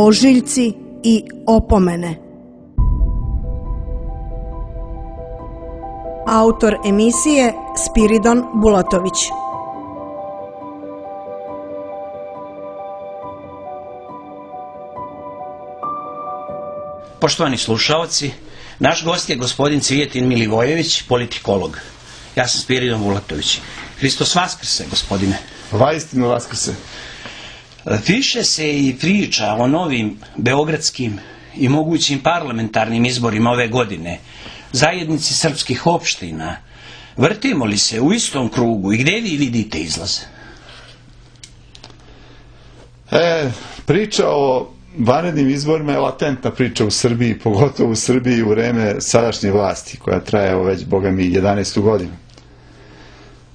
ožiljci i opomene. Autor emisije Spiridon Bulatović. Poštovani slušaoci, naš gost je gospodin Cvijetin Milivojević, politikolog. Ja sam Spiridon Bulatović. Hristos vaskrse, gospodine. Vaistinu vaskrse. Piše se i priča o novim beogradskim i mogućim parlamentarnim izborima ove godine. Zajednici srpskih opština. Vrtimo li se u istom krugu i gdje vi vidite izlaz? Priča o vanrednim izborima je latentna priča u Srbiji, pogotovo u Srbiji u vreme sadašnje vlasti, koja traje već, boga mi, 11. godinu.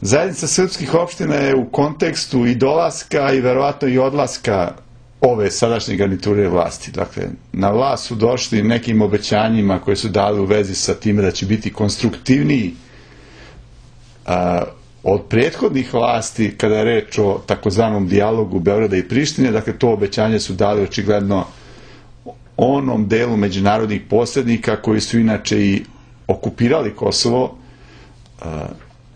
Zajednica srpskih opština je u kontekstu i dolaska i verovatno i odlaska ove sadašnje garniture vlasti. Dakle, na vlast su došli nekim obećanjima koje su dali u vezi sa time da će biti konstruktivniji od prethodnih vlasti kada je reč o takozvanom dijalogu Beograda i Prištine. Dakle, to obećanje su dali očigledno onom delu međunarodnih posrednika koji su inače i okupirali Kosovo,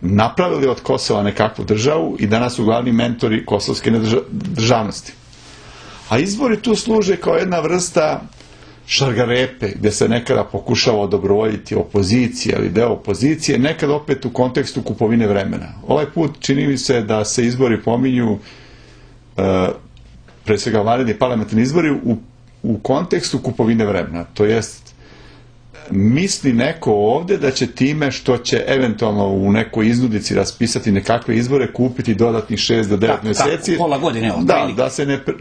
napravili od Kosova nekakvu državu i danas su glavni mentori kosovske državnosti. A izbori tu služe kao jedna vrsta šargarepe, gdje se nekada pokušava odobrovoljiti opozicija ili deo opozicije, nekada opet u kontekstu kupovine vremena. Ovaj put čini mi se da se izbori pominju, pre svega vanredni parlamentarni izbori, u kontekstu kupovine vremena. To jest, misli neko ovdje da će time što će eventualno u nekoj iznudici raspisati nekakve izbore kupiti dodatnih 6 do 9 mjeseci. Pola godine.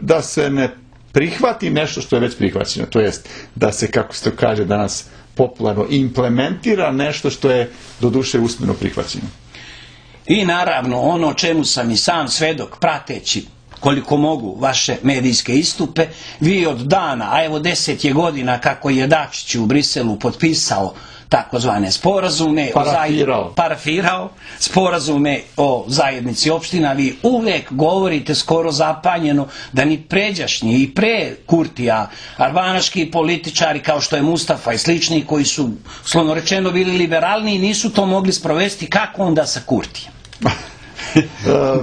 Da se ne prihvati nešto što je već prihvaćeno. To jest da se, kako se to kaže danas popularno, implementira nešto što je doduše usmeno prihvaćeno. I naravno ono čemu sam i sam svedok prateći koliko mogu vaše medijske istupe, vi od dana, a evo 10 je godina kako je Dačić u Briselu potpisao takozvane sporazume, parafirao sporazume o zajednici opština, vi uvek govorite skoro zapanjeno da ni pređašnji i pre Kurtija albanaški političari kao što je Mustafa i slični koji su, slovno rečeno, bili liberalni, nisu to mogli sprovesti. Kako onda sa Kurtijem?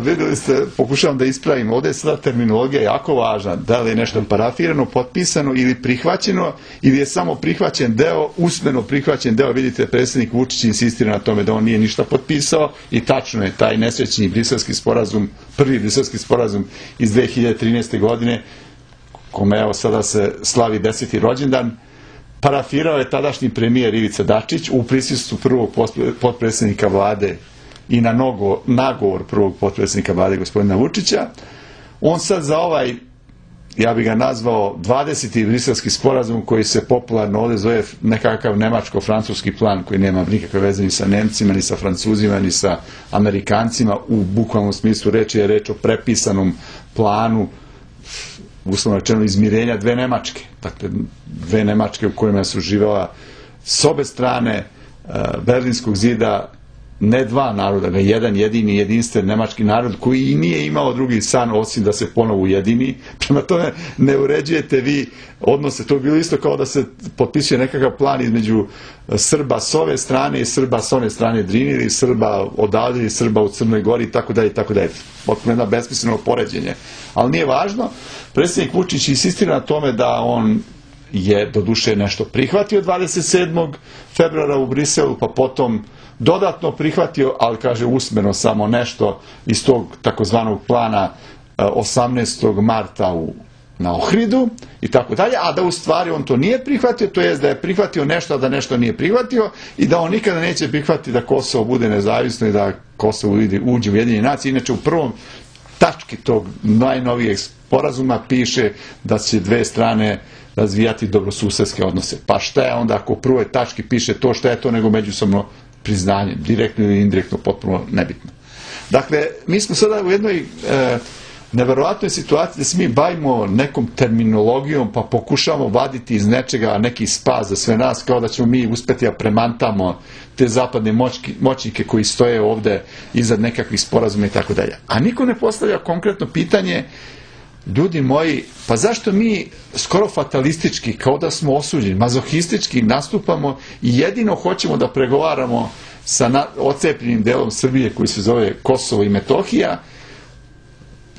Vidjeli ste, pokušavam da ispravim, ovdje je sada terminologija jako važna, da li je nešto parafirano, potpisano ili prihvaćeno, ili je samo prihvaćen deo, usmeno prihvaćen deo. Vidite, predsjednik Vučić insistira na tome da on nije ništa potpisao i tačno je, taj nesrećni briselski sporazum, prvi briselski sporazum iz 2013. godine, kome evo sada se slavi 10. rođendan, parafirao je tadašnji premijer Ivica Dačić u prisustvu prvog potpredsjednika vlade i na nagovor prvog potpredsjednika vlade gospodina Vučića. On sad za ovaj, ja bih ga nazvao 20. briselski sporazum, koji se popularno ovdje zove nekakav nemačko-francuski plan, koji nema nikakve veze ni sa Nemcima, ni sa Francuzima, ni sa Amerikancima, u bukvalnom smislu reči je reč o prepisanom planu, uslovno rečeno, izmirenja dve Nemačke. Dakle, dve Nemačke u kojima su živela s obe strane Berlinskog zida ne dva naroda, ne jedan jedini jedinstven nemački narod koji i nije imao drugi san osim da se ponovo ujedini. Prema tome ne uređujete vi odnose. To je bilo isto kao da se potpisuje nekakav plan između Srba s ove strane i Srba s one strane Drine, ili Srba odavde i Srba u Crnoj Gori i tako dalje i tako dalje. Potpuno jedno besmisleno poređenje. Ali nije važno. Predsjednik Vučić insistira na tome da on je doduše nešto prihvatio 27. februara u Briselu, pa potom dodatno prihvatio, ali kaže usmeno samo nešto iz tog takozvanog plana 18. marta na Ohridu i tako dalje, a da u stvari on to nije prihvatio, to jest da je prihvatio nešto, a da nešto nije prihvatio i da on nikada neće prihvatiti da Kosovo bude nezavisno i da Kosovo uđe u Ujedinjene nacije. Inače, u prvom tački tog najnovijeg sporazuma piše da će dve strane razvijati dobrosusedske odnose. Pa šta je onda ako u prvoj tački piše to, šta je to nego međusobno priznanje, direktno ili indirektno, potpuno nebitno. Dakle, mi smo sada u jednoj neverovatnoj situaciji da se mi bavimo nekom terminologijom pa pokušamo vaditi iz nečega neki spas za sve nas, kao da ćemo mi uspeti da premantamo te zapadne moćnike koji stoje ovde iza nekakvih sporazuma i tako dalje. A niko ne postavlja konkretno pitanje ljudi moji, pa zašto mi skoro fatalistički, kao da smo osuđeni, mazohistički nastupamo i jedino hoćemo da pregovaramo sa ocepljenim delom Srbije koji se zove Kosovo i Metohija,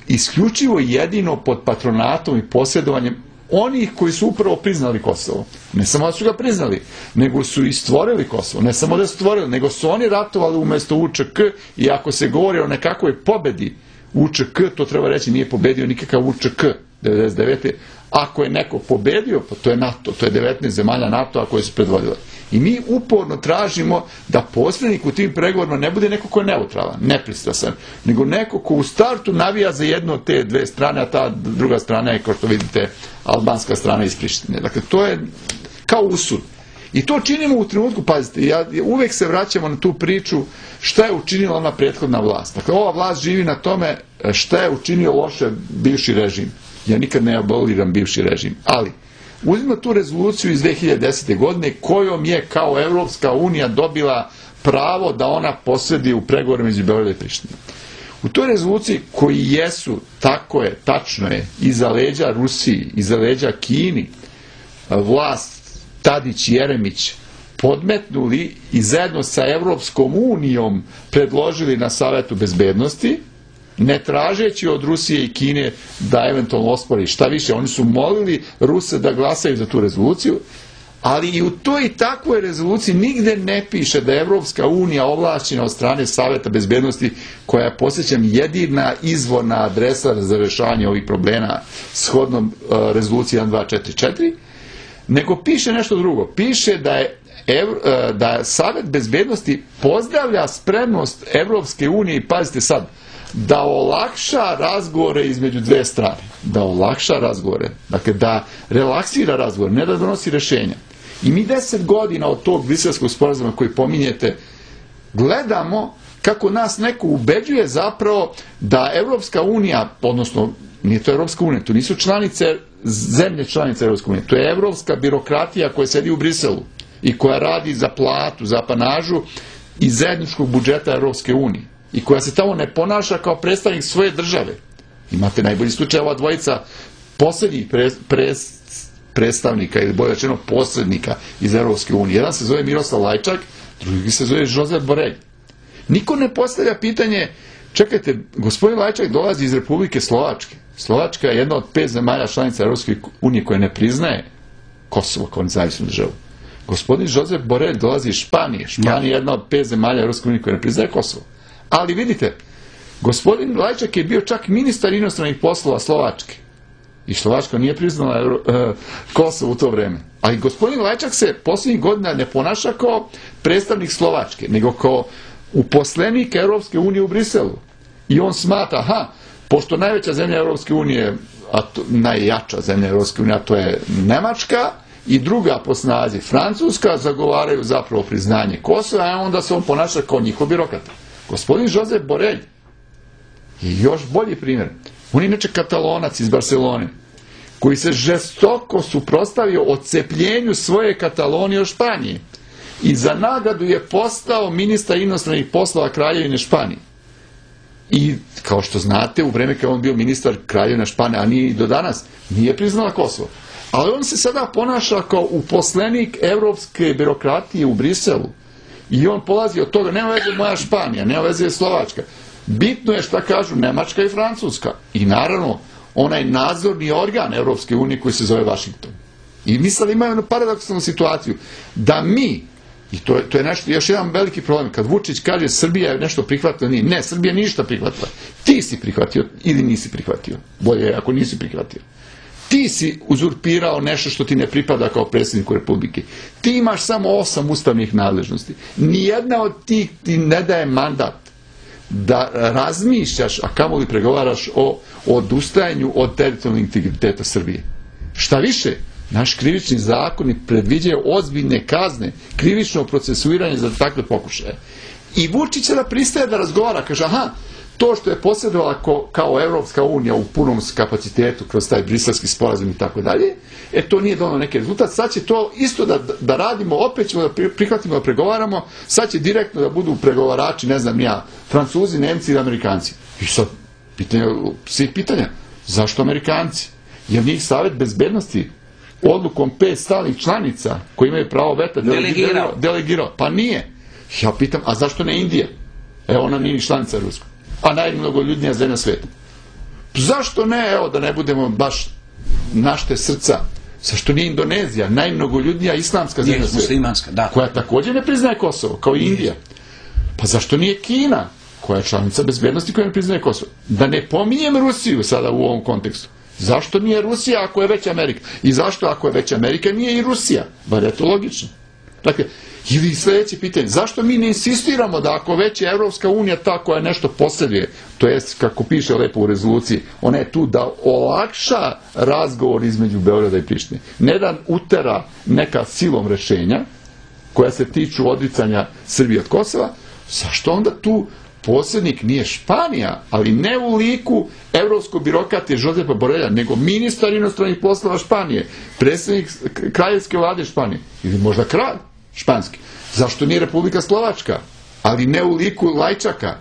isključivo jedino pod patronatom i posjedovanjem onih koji su upravo priznali Kosovo. Ne samo da su ga priznali, nego su i stvorili Kosovo. Ne samo da su stvorili, nego su oni ratovali umjesto UČK i ako se govori o nekakvoj pobedi UČK, to treba reći, nije pobedio nikakav UČK 99. Ako je neko pobedio, pa to je NATO, to je 19 zemalja NATO-a koje su predvodile. I mi uporno tražimo da posrednik u tim pregovorima ne bude neko ko je neutralan, nepristrasan, nego neko ko u startu navija za jednu od te dve strane, a ta druga strana je, kao što vidite, albanska strana iz Prištine. Dakle, to je kao usud. I to činimo u trenutku, pazite, uvek se vraćamo na tu priču šta je učinila ona prethodna vlast. Dakle, ova vlast živi na tome šta je učinio loše bivši režim. Ja nikad ne aboliram bivši režim, ali uzmimo tu rezoluciju iz 2010. godine kojom je kao Evropska unija dobila pravo da ona posredi u pregovorima između Beograda i Prištine. U toj rezoluciji koji jesu, tako je, tačno je, iza leđa Rusiji, iza leđa Kini, vlast Tadić i Jeremić podmetnuli i zajedno sa Evropskom unijom predložili na Savetu bezbednosti, ne tražeći od Rusije i Kine da eventualno ospori. Šta više, oni su molili Ruse da glasaju za tu rezoluciju, ali i u toj i takvoj rezoluciji nigde ne piše da je Evropska unija ovlašćena od strane Saveta bezbednosti, koja je, podsjećam, jedina izvorna adresa za rešavanje ovih problema shodnom rezoluciji 1244, nego piše nešto drugo. Piše da Savet bezbednosti pozdravlja spremnost Evropske unije, i pazite sad, da olakša razgovore između dve strane. Da olakša razgovore. Dakle, da relaksira razgovore, ne da donosi rešenja. I mi 10 godina od tog Briselskog sporazuma koji pominjete gledamo kako nas neko ubeđuje zapravo da Evropska unija, odnosno nije to Evropska unija, to nisu zemlje članice Evropske unije, to je evropska birokratija koja sedi u Briselu i koja radi za platu, za apanažu iz zajedničkog budžeta Evropske unije i koja se tamo ne ponaša kao predstavnik svoje države. Imate najbolji slučaj ova dvojica poslednjih predstavnika, ili bolje rečeno posrednika iz Evropske unije. Jedan se zove Miroslav Lajčak, drugi se zove Josep Borelj. Niko ne postavlja pitanje, čekajte, gospodin Lajčak dolazi iz Republike Slovačke. Slovačka je jedna od 5 zemalja članica Evropske unije koja ne priznaje Kosovo kao nezavisnu državu. Gospodin Josep Borelj dolazi iz Španije. Španija je jedna od 5 zemalja Evropske unije koja ne priznaje Kosovo. Ali vidite, gospodin Lajčak je bio čak ministar inostranih poslova Slovačke. I Slovačka nije priznala Kosovo u to vreme. Ali gospodin Lajčak se posljednjih godina ne ponaša kao predstavnik Slovačke, nego kao uposlenik Evropske unije u Briselu. I on smatra, pošto najveća zemlja Evropske unije, najjača zemlja Evropske unije, a to je Nemačka, i druga po snazi Francuska, zagovaraju zapravo priznanje Kosova, a onda se on ponaša kao njihov birokrata. Gospodin Josep Borelj je još bolji primjer. On je inače Katalonac iz Barcelone, koji se žestoko suprotstavio odcepljenju svoje Katalonije od Španije. I za nagradu je postao ministar inostranih poslova Kraljevine Španije. I, kao što znate, u vreme kada on bio ministar Kraljevine Španije, a nije i do danas, nije priznala Kosovo. Ali on se sada ponaša kao uposlenik evropske birokratije u Briselu. I on polazi od toga, nema veze moja Španija, nema veze Slovačka. Bitno je šta kažu Nemačka i Francuska. I naravno, onaj nadzorni organ Evropske unije koji se zove Vašington. I mi sad imaju jednu paradoksalnu situaciju, da mi, i to je nešto, još jedan veliki problem, kad Vučić kaže Srbija je nešto prihvatila, nije. Ne, Srbija ništa prihvatila. Ti si prihvatio ili nisi prihvatio. Bolje je ako nisi prihvatio. Ti si uzurpirao nešto što ti ne pripada kao predsjedniku Republike. Ti imaš samo 8 ustavnih nadležnosti. Nijedna od tih ti ne daje mandat da razmišljaš, a kamoli pregovaraš o odustajanju od teritorijalnog integriteta Srbije. Šta više, naš krivični zakon predviđaju ozbiljne kazne, krivično procesuiranje za takve pokušaje. I Vučić da pristaje da razgovara, kaže, to što je posjedovala kao Evropska unija u punom kapacitetu kroz taj briselski sporazum i tako dalje, to nije donalo neki rezultat, sad će to isto da radimo, opet ćemo da prihvatimo da pregovaramo, sad će direktno da budu pregovarači, ne znam ja, Francuzi, Nemci i Amerikanci. I sad, svih pitanja, Zašto Amerikanci? Jer njih Savet bezbednosti odlukom 5 stalnih članica koji imaju pravo veta delegirao. Pa nije. Ja pitam, a zašto ne Indija? Evo, ona nije članica Ruska. A najmnogoljudnija zemlja sveta. Zašto ne, evo, da ne budemo baš našte srca? Zašto nije Indonezija, najmnogoljudnija islamska zemlja sveta? Koja također ne priznaje Kosovo, kao i Indija. Pa zašto nije Kina, koja je članica bezbednosti koja ne priznaje Kosovo? Da ne pominjem Rusiju sada u ovom kontekstu. Zašto nije Rusija ako je već Amerika? I zašto ako je već Amerika nije i Rusija? Bar je to logično. Dakle, ili sljedeće pitanje, zašto mi ne insistiramo da ako već je Evropska unija ta koja nešto posjeduje, to jest, kako piše lepo u rezoluciji, ona je tu da olakša razgovor između Beograda i Prištine. Ne da utera neka silom rešenja koja se tiču odricanja Srbije od Kosova, zašto onda tu posrednik nije Španija, ali ne u liku evropskog birokrata Josepa Borelja, nego ministar inostranih poslova Španije, predsjednik kraljevske vlade Španije, ili možda kralj španski. Zašto nije Republika Slovačka, ali ne u liku Lajčaka,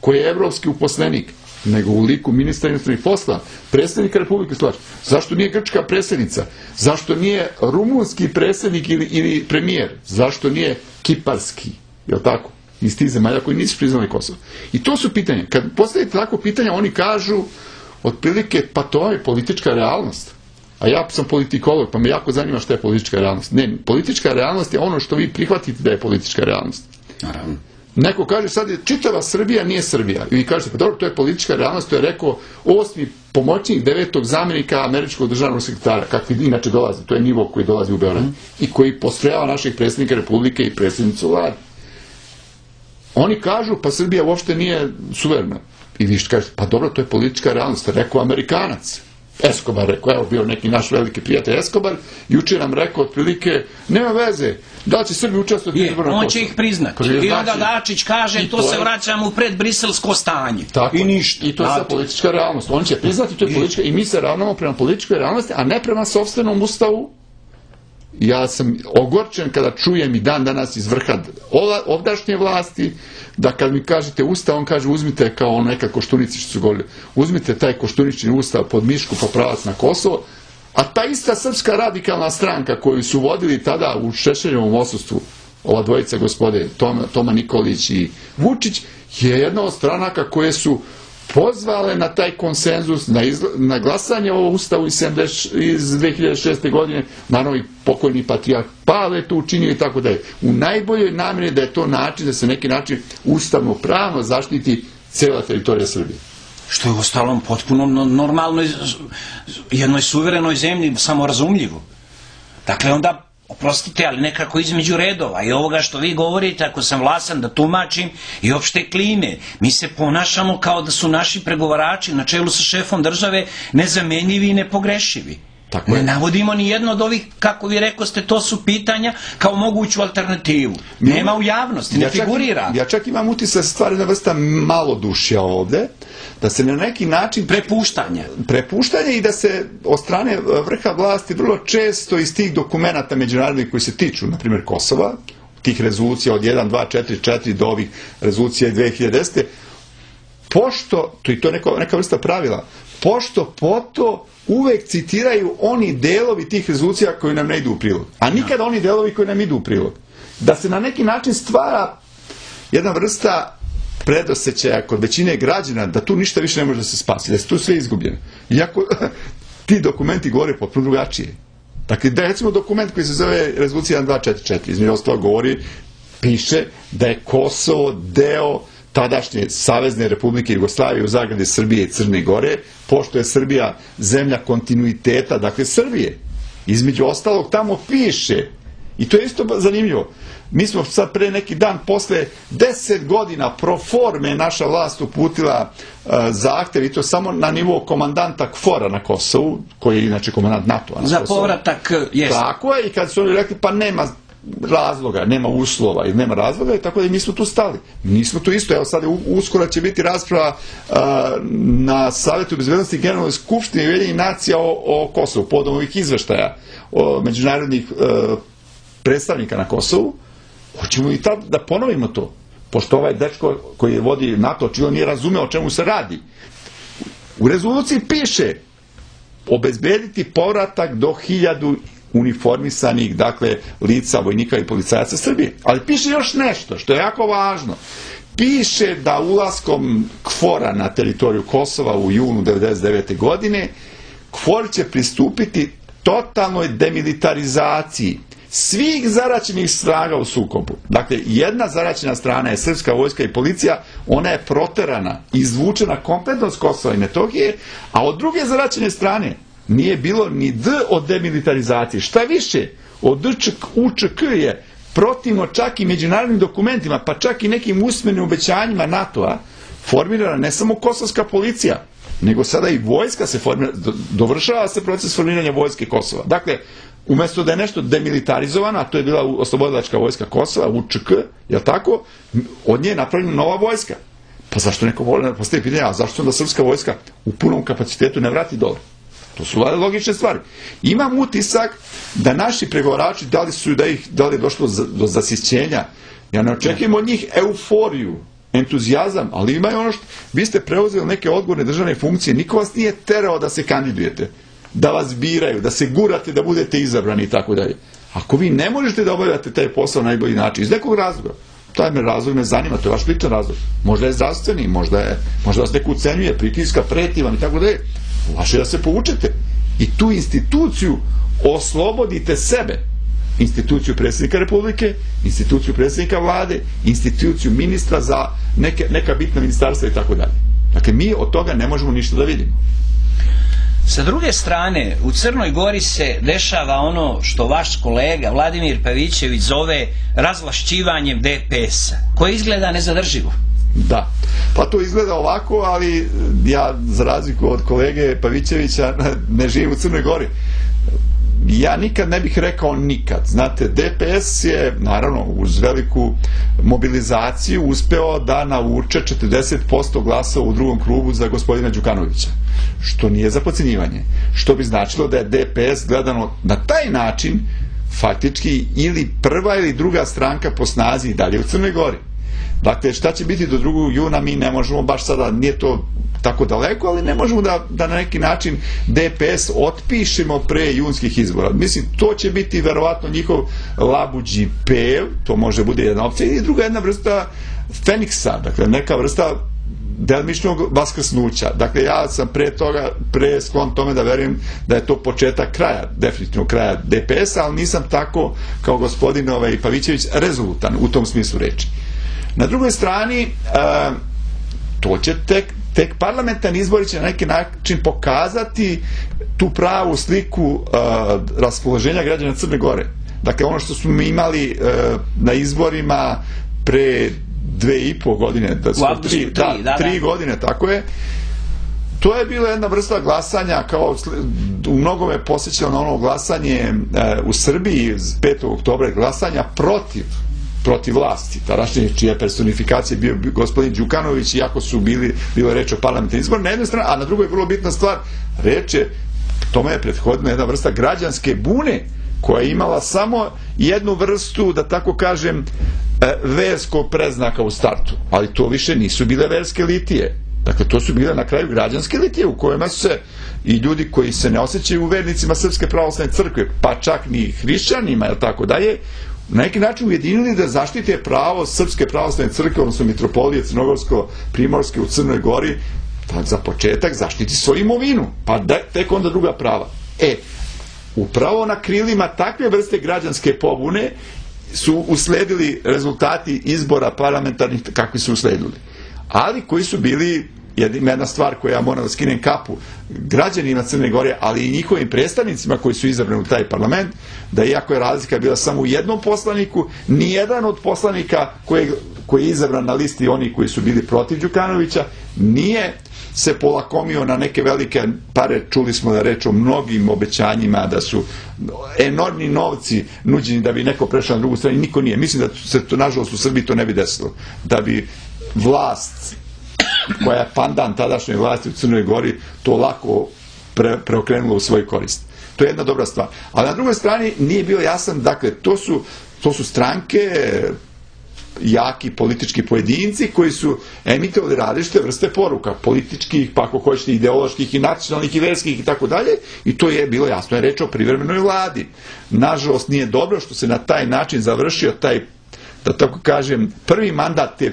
koji je evropski uposlenik, nego u liku ministra inostranih poslova, predsjednika Republike Slovačke? Zašto nije grčka predsjednica? Zašto nije rumunski predsjednik ili premijer? Zašto nije kiparski? Jel' tako? Iz tih zemalja koji nisu priznali Kosovo. I to su pitanja. Kad postavite tako pitanja, oni kažu otprilike, pa to je politička realnost. A ja sam politikolog, pa me jako zanima šta je politička realnost. Ne, politička realnost je ono što vi prihvatite da je politička realnost. Naravno. Neko kaže sad je čitava Srbija nije Srbija. I vi kažete, pa dobro, to je politička realnost, to je rekao 8. pomoćnik 9. zamjenika američkog državnog sekretara, kakvi inače dolazi. To je nivo koji dolazi u Beograd. I koji postrojava naših predsjednika Republike i predsjednicu vlade. Oni kažu, pa Srbija uopšte nije suverena. I vi što kažete, pa dobro, to je politička realnost. Rekao Amerikanac. Escobar rekao, evo bio neki naš veliki prijatelj Escobar, jučer nam rekao otprilike, nema veze, da li će Srbi učestvovati u izbornom Kosovu? On će ih priznati. I onda Dačić kaže, to se vraćamo u predbriselsko stanje. I ništa. I to je politička realnost. On će priznati, to je politička, i mi se ravnamo prema političkoj realnosti, a ne prema sopstvenom ustavu. Ja sam ogorčen kada čujem i dan danas iz vrha ovdašnje vlasti, da kad mi kažete ustav, on kaže uzmite kao neka Koštunici što su govorili, uzmite taj Koštunični ustav pod mišku pa pravac na Kosovo, a ta ista Srpska radikalna stranka koju su vodili tada u Šešeljevom odsustvu, ova dvojica gospode, Toma Nikolić i Vučić, je jedna od stranaka koje su pozvale na taj konsenzus, na glasanje o ustavu iz 2006. godine, naravno i pokojni patrijarh Pavle to učinio i tako dalje. U najboljoj namjeri da je to način, da se neki način ustavno pravno zaštiti cijela teritorija Srbije. Što je u ostalom potpuno normalnoj, jednoj suverenoj zemlji, samorazumljivo. Dakle, onda oprostite, ali nekako između redova i ovoga što vi govorite, ako sam vlasan da tumačim, i opšte klime. Mi se ponašamo kao da su naši pregovarači na čelu sa šefom države nezamenljivi i nepogrešivi. Ne navodimo ni jedno od ovih, kako vi rekoste, to su pitanja kao moguću alternativu. Nema u javnosti, ne figurira. Ja čak imam utisak stvari jedna vrsta malodušja ovde, da se na neki način prepuštanje i da se od strane vrha vlasti vrlo često iz tih dokumenata međunarodnih koji se tiču, na primjer Kosova, tih rezolucija od 1, 2, 4, 4 do ovih rezolucija 2010. Pošto, to je to neka vrsta pravila, pošto poto uvek citiraju oni delovi tih rezolucija koji nam ne idu u prilog. A nikada oni delovi koji nam idu u prilog. Da se na neki način stvara jedna vrsta predosjećaja kod većine građana da tu ništa više ne može da se spasi, da je tu sve izgubljeno. Iako ti dokumenti govore potpuno drugačije. Dakle, da recimo dokument koji se zove rezolucija 1244, između ostalog govori, piše da je Kosovo deo tadašnje Savezne Republike Jugoslavije u zagradi Srbije i Crne Gore, pošto je Srbija zemlja kontinuiteta, dakle Srbije. Između ostalog tamo piše, i to je isto zanimljivo, mi smo sad pre neki dan, posle 10 godina pro forme naša vlast uputila zahtev, i to samo na nivou komandanta KFOR-a na Kosovu, koji je inače komandant NATO-a na Kosovu. Za povratak, jeste. Tako je, i kad su oni rekli, pa nema razloga, nema uslova i nema razloga, i tako da mi smo tu stali. Mi smo tu isto, evo sad uskoro će biti rasprava na Savjetu bezbednosti Generalnoj skupštini Ujedinjenih nacija o Kosovu, povodom ovih izveštaja međunarodnih predstavnika na Kosovu. Hoćemo i tad da ponovimo to, pošto ovaj dečko koji vodi NATO očigledno nije razumeo o čemu se radi. U rezoluciji piše obezbediti povratak do 1000 uniformisanih, dakle, lica, vojnika i policajaca Srbije. Ali piše još nešto, što je jako važno. Piše da ulaskom KFOR-a na teritoriju Kosova u junu 1999. godine, KFOR će pristupiti totalnoj demilitarizaciji svih zaraćenih snaga u sukobu. Dakle, jedna zaraćena strana je srpska vojska i policija, ona je proterana, izvučena kompletno s Kosova i Metohije, a od druge zaraćene strane nije bilo ni D od demilitarizacije. Šta više, od UČK je protivno čak i međunarodnim dokumentima, pa čak i nekim usmenim obećanjima NATO-a, formirana ne samo kosovska policija, nego sada i vojska se formira, dovršava se proces formiranja vojske Kosova. Dakle, umjesto da je nešto demilitarizovano, a to je bila oslobodilačka vojska Kosova, UČK, jel tako, od nje je napravljena nova vojska. Pa zašto neko voli da postavi pitanje, a zašto onda srpska vojska u punom kapacitetu ne vrati dole? To su logične stvari. Imam utisak da naši pregovarači, da li je došlo do zasićenja, ja ne očekujem od njih euforiju, entuzijazam, ali imaju ono što, vi ste preuzeli neke odgovorne državne funkcije, niko vas nije terao da se kandidujete, da vas biraju, da se gurate, da budete izabrani i tako dalje. Ako vi ne možete da obavljate taj posao na najbolji način, iz nekog razloga, taj razlog me zanima, to je vaš ličan razlog. Možda je zdravstveni, možda vas neko ucenjuje, pritiska, preti vam i tako dalje. Vaše da se povučete. I tu instituciju oslobodite sebe. Instituciju predsjednika Republike, instituciju predsjednika vlade, instituciju ministra za neka bitna ministarstva i tako dalje. Dakle, mi od toga ne možemo ništa da vidimo. Sa druge strane, u Crnoj Gori se dešava ono što vaš kolega Vladimir Pavićević zove razvlašćivanjem DPS-a, koje izgleda nezadrživo. Da, pa to izgleda ovako, ali ja, za razliku od kolege Pavićevića, ne živim u Crnoj Gori. Ja nikad ne bih rekao nikad. Znate, DPS je, naravno, uz veliku mobilizaciju uspeo da navuče 40% glasa u drugom krugu za gospodina Đukanovića. Što nije za podcenjivanje. Što bi značilo da je DPS gledano na taj način faktički ili prva ili druga stranka po snazi i dalje u Crnoj Gori. Dakle, šta će biti do 2. juna, mi ne možemo baš sada, nije to tako daleko, ali ne možemo da na neki način DPS otpišemo pre junskih izbora. Mislim, to će biti verovatno njihov labuđi pev, to može bude jedna opcija, i druga jedna vrsta Feniksa, dakle neka vrsta delimičnog vaskrsnuća. Dakle, ja sam pre sklon tome da verujem da je to početak kraja, definitivno kraja DPS-a, ali nisam tako kao gospodin Pavićević rezolutan u tom smislu reči. Na drugoj strani, to će tek parlamentarni izbori će na neki način pokazati tu pravu sliku raspoloženja građana Crne Gore. Dakle, ono što smo mi imali na izborima pre 2,5 godine, 3 godine, tako je, to je bila jedna vrsta glasanja, kao u mnogome posjećalo na ono glasanje u Srbiji 5. oktobra, glasanja protiv vlasti, tadašnje čija personifikacija bio gospodin Đukanović, iako su bilo reč o parlamentarnim izborima na jednoj strani, a na drugoj vrlo bitna stvar, tome je prethodna jedna vrsta građanske bune, koja je imala samo jednu vrstu, da tako kažem, verskog preznaka u startu, ali to više nisu bile verske litije. Dakle, to su bile na kraju građanske litije u kojima su se i ljudi koji se ne osjećaju vernicima Srpske pravoslavne crkve, pa čak ni hrišćanima, jel tako dalje, na neki način ujedinili da zaštite pravo Srpske pravoslavne crkve, odnosno mitropolije Crnogorsko-Primorske u Crnoj Gori, da za početak zaštiti svoju imovinu, pa tek onda druga prava. Upravo na krilima takve vrste građanske pobune su usledili rezultati izbora parlamentarnih kakvi su usledili. Ali koji su bili, jedna stvar koja ja moram da skinem kapu građanima Crne Gore, ali i njihovim predstavnicima koji su izabrani u taj parlament, da iako je razlika bila samo u jednom poslaniku, nijedan od poslanika koji je izabran na listi onih koji su bili protiv Đukanovića nije se polakomio na neke velike pare. Čuli smo da reč o mnogim obećanjima, da su enormni novci nuđeni da bi neko prešao na drugu stranu, niko nije. Mislim da se to, nažalost, u Srbiji to ne bi desilo. Da bi vlast koja je pandan tadašnjoj vlasti u Crnoj Gori to lako preokrenula u svoj korist. To je jedna dobra stvar. A na drugoj strani nije bio jasan, dakle, to su stranke jaki politički pojedinci koji su emitovali različite vrste poruka, političkih, pa ako hoćete ideoloških i nacionalnih i verskih i tako dalje, i to je bilo jasno, je reč o privremenoj vladi. Nažalost nije dobro što se na taj način završio taj, da tako kažem, prvi mandat te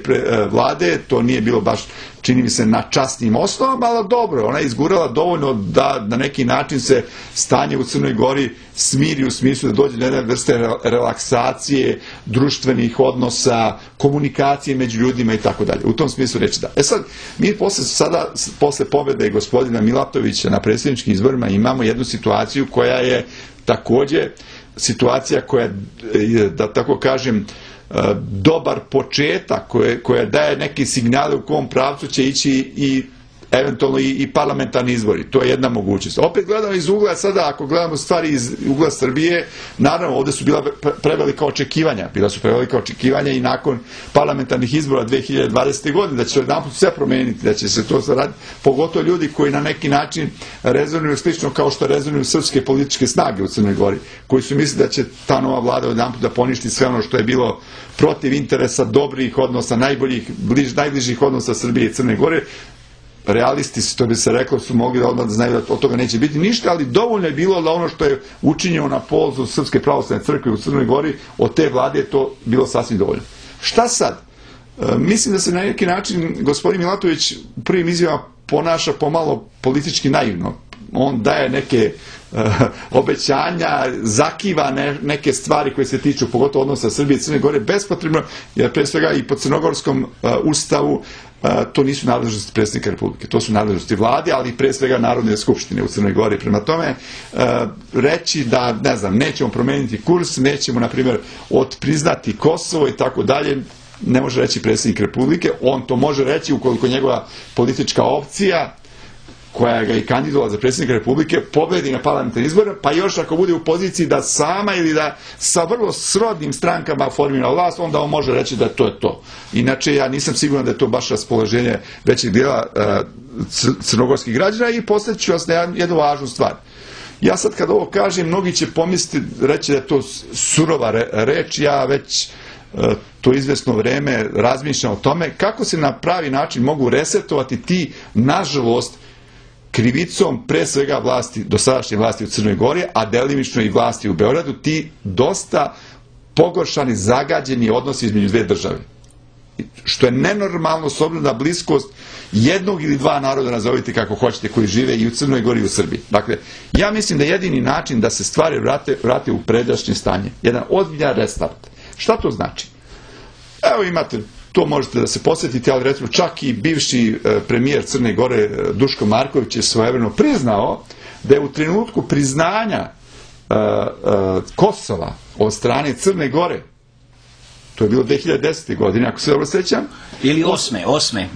vlade, to nije bilo baš, čini mi se, na časnim osnovama, ali dobro, ona je izgurala dovoljno da na neki način se stanje u Crnoj Gori smiri u smislu da dođe do jedne vrste relaksacije, društvenih odnosa, komunikacije među ljudima i tako dalje. U tom smislu reći da. E sad, mi posle pobjede gospodina Milatovića na predsjedničkim izborima imamo jednu situaciju koja je također situacija koja je, da tako kažem, dobar početak koja daje neke signale u kom pravcu će ići i eventualno i parlamentarni izbori. To je jedna mogućnost. Opet gledamo iz ugla, sada ako gledamo stvari iz ugla Srbije, naravno ovdje su bila prevelika očekivanja. Bila su prevelika očekivanja i nakon parlamentarnih izbora 2020. godine, da će se jedanput sve promijeniti, da će se to zaraditi, pogotovo ljudi koji na neki način rezonuju slično kao što rezonuju srpske političke snage u Crnoj Gori, koji su mislili da će ta nova vlada jedanput da poništi sve ono što je bilo protiv interesa dobrih odnosa, najbližih odnosa Srbije i Crne Gore. Realisti, što bi se reklo, su mogli da odmah da znaju da od toga neće biti ništa, ali dovoljno je bilo da ono što je učinjeno na polzu Srpske pravoslavne crkve u Crnoj Gori, od te vlade je to bilo sasvim dovoljno. Šta sad? Mislim da se na neki način gospodin Milatović u prvim izjavama ponaša pomalo politički naivno. On daje neke obećanja, zakiva neke stvari koje se tiču pogotovo odnosa Srbije i Crne Gore bespotrebno, jer pre svega i po crnogorskom ustavu to nisu nadležnosti predsjednika Republike, to su nadležnosti vlade, ali i pre svega Narodne skupštine u Crnoj Gori. Prema tome, reći da, ne znam, nećemo promeniti kurs, nećemo, na primjer, otpriznati Kosovo i tako dalje, ne može reći predsjednik Republike. On to može reći ukoliko njegova politička opcija, koja ga i kandidovala za predsjednika Republike, pobedi na parlamentarnim izborima, pa još ako bude u poziciji da sama ili da sa vrlo srodnim strankama formira vlast, onda on može reći da to je to. Inače, ja nisam siguran da je to baš raspoloženje većeg dijela crnogorskih građana i postavit ću vas na jednu važnu stvar. Ja sad kad ovo kažem, mnogi će pomisliti, reći da je to surova reč, ja već to izvesno vreme razmišljam o tome kako se na pravi način mogu resetovati ti, nažalost, krivicom pre svega vlasti, dosadašnje vlasti u Crnoj Gori, a delimično i vlasti u Beogradu, ti dosta pogoršani, zagađeni odnosi između dve države. Što je nenormalno s obzirom na bliskost jednog ili dva naroda, nazovite kako hoćete, koji žive i u Crnoj Gori i u Srbiji. Dakle, ja mislim da jedini način da se stvari vrate u pređašnje stanje, jedan ozbiljan restart. Šta to znači? Evo imate, to možete da se posjetite, ali recimo čak i bivši premijer Crne Gore Duško Marković je svojevremeno priznao da je u trenutku priznanja Kosova od strane Crne Gore, to je bilo 2010. godine, ako se dobro sjećam. Ili osme,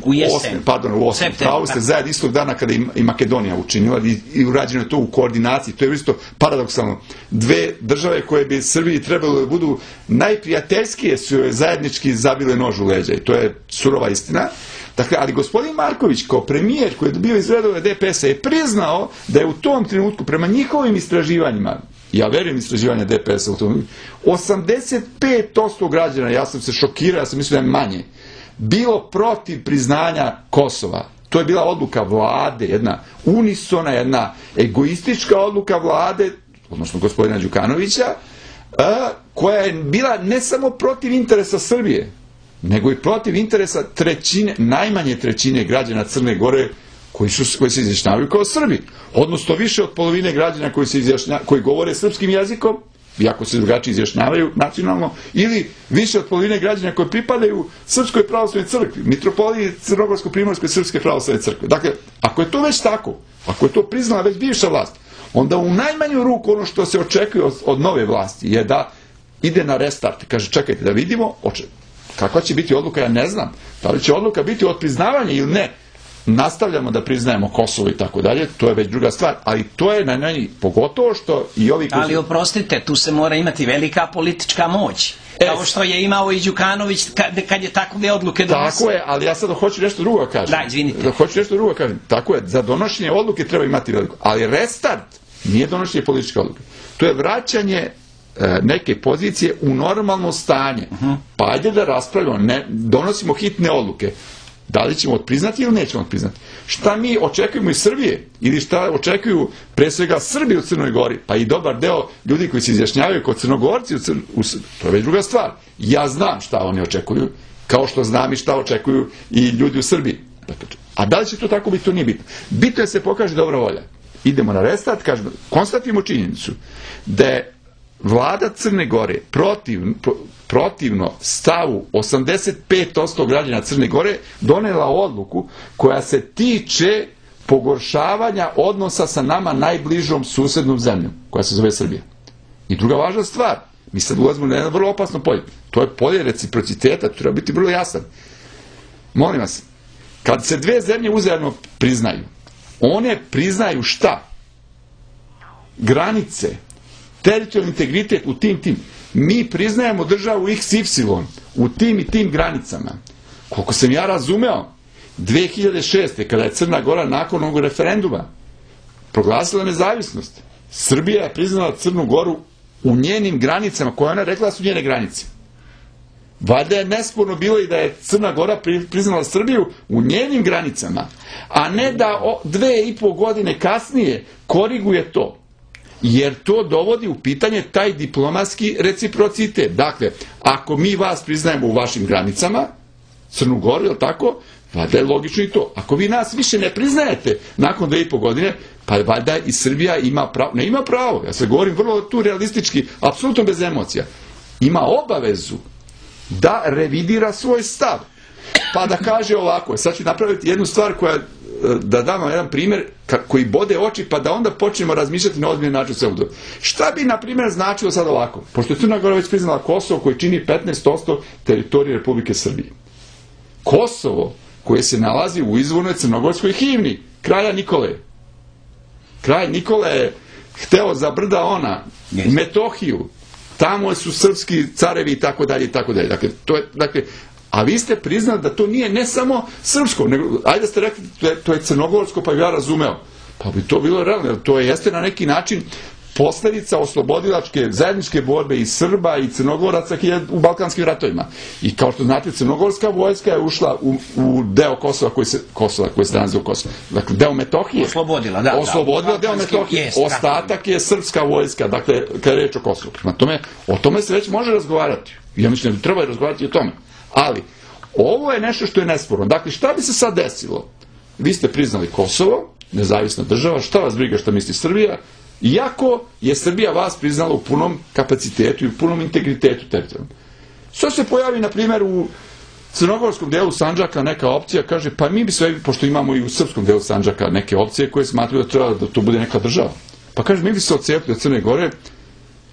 u jesen. U 8. Pravo ste zajedno istog dana kada i Makedonija učinila i urađeno je to u koordinaciji. To je isto paradoksalno. Dve države koje bi Srbiji trebalo da budu najprijateljskije su joj zajednički zabile nož u leđa. I to je surova istina. Dakle, ali gospodin Marković kao premijer koji je bio iz redova DPS-a je priznao da je u tom trenutku prema njihovim istraživanjima, ja verujem istraživanja DPS-a u tom, 85% građana, ja sam se šokirao, ja sam mislio da je manje, bilo protiv priznanja Kosova. To je bila odluka vlade, jedna unisona, jedna egoistička odluka vlade, odnosno gospodina Đukanovića, koja je bila ne samo protiv interesa Srbije, nego i protiv interesa najmanje trećine građana Crne Gore koji se izjašnjavaju kao Srbi. Odnosno više od polovine građana koji govore srpskim jezikom, iako se drugačije izjašnjavaju nacionalno, ili više od polovine građana koji pripadaju Srpskoj pravoslavnoj crkvi, mitropoliji Crnogorsko-primorskoj Srpske pravoslavne crkve. Dakle, ako je to već tako, ako je to priznala već bivša vlast, onda u najmanju ruku ono što se očekuje od nove vlasti je da ide na restart. Kaže, čekajte da vidimo kakva će biti odluka, ja ne znam. Da li će odluka biti od priznavanja ili ne? Nastavljamo da priznajemo Kosovo i tako dalje, to je već druga stvar, ali to je na njoj, pogotovo što i ovi... Ali oprostite, tu se mora imati velika politička moć, kao što je imao i Đukanović kad je takve odluke donosio. Tako je, ali ja sad hoću nešto drugo kažem. Da, izvinite. Hoću nešto drugo kažem. Tako je, za donošenje odluke treba imati veliko, ali restart nije donošenje političke odluke. To je vraćanje neke pozicije u normalno stanje. Pa ajde da raspravljamo, ne donosimo hitne odluke. Da li ćemo odpriznati ili nećemo odpriznati? Šta mi očekujemo iz Srbije? Ili šta očekuju pre svega Srbi u Crnoj Gori? Pa i dobar deo ljudi koji se izjašnjavaju kao Crnogorci to je već druga stvar. Ja znam šta oni očekuju, kao što znam i šta očekuju i ljudi u Srbiji. A da li će to tako biti, to nije bitno. Bitno je da se pokaže dobra volja. Idemo na restart, kažemo, konstatujemo činjenicu da je vlada Crne Gore protivno stavu 85% građana Crne Gore donela odluku koja se tiče pogoršavanja odnosa sa nama najbližom susednom zemljom, koja se zove Srbija. I druga važna stvar, mi sad ulazimo na jedno vrlo opasno polje. To je polje reciprociteta, to treba biti vrlo jasan. Molim vas, kad se dve zemlje uzajamno priznaju, one priznaju šta? Granice, teritorijalni integritet u tim. Mi priznajemo državu XY u tim i tim granicama. Koliko sam ja razumeo, 2006. kada je Crna Gora nakon ovog referenduma proglasila nezavisnost, Srbija je priznala Crnu Goru u njenim granicama, koje ona rekla su njene granice. Valjda je nesporno bilo i da je Crna Gora priznala Srbiju u njenim granicama, a ne da 2,5 godine kasnije koriguje to. Jer to dovodi u pitanje taj diplomatski reciprocitet. Dakle, ako mi vas priznajemo u vašim granicama, Crnu Goru, je li tako? Valjda je logično i to. Ako vi nas više ne priznajete nakon 2,5 godine, pa valjda i Srbija ima pravo, ne ima pravo, ja se govorim vrlo tu realistički, apsolutno bez emocija, ima obavezu da revidira svoj stav. Pa da kaže ovako, sad ću napraviti jednu stvar koja, da dam vam jedan primjer koji bode oči, pa da onda počnemo razmišljati na ozbiljan način sve. Šta bi, na primjer, značilo sad ovako? Pošto je Crna Gora već priznala Kosovo, koji čini 15% teritorije Republike Srbije. Kosovo, koje se nalazi u izvornoj crnogorskoj himni, kralja Nikole. Kralj Nikola je hteo za brda ona, Metohiju, tamo su srpski carevi i tako dalje i tako dalje. Dakle, a vi ste priznali da to nije ne samo srpsko, nego, ajde da ste rekli, to je crnogorsko, pa bi ja razumeo. Pa bi to bilo realno, jer to jeste na neki način posledica oslobodilačke zajedničke borbe i Srba i Crnogoraca u Balkanskim ratovima. I kao što znate, crnogorska vojska je ušla u deo Kosova koji se nalazi u Kosovu. Dakle, deo Metohije. Oslobodila deo Metohije. Ostatak je srpska vojska, dakle, kada je reč o Kosovu. Prema tome, o tome se već može razgovarati. Ja mislim da bi trebalo razgovarati o tome. Ali, ovo je nešto što je nesporno. Dakle, šta bi se sad desilo? Vi ste priznali Kosovo, nezavisna država, šta vas briga šta misli Srbija, iako je Srbija vas priznala u punom kapacitetu i u punom integritetu teritorijalnom. Što se pojavi, na primjer, u crnogorskom delu Sandžaka neka opcija, kaže, pa mi bi sve, pošto imamo i u srpskom delu Sandžaka neke opcije koje smatruju da treba da to bude neka država. Pa kaže, mi bi se odcepili od Crne Gore,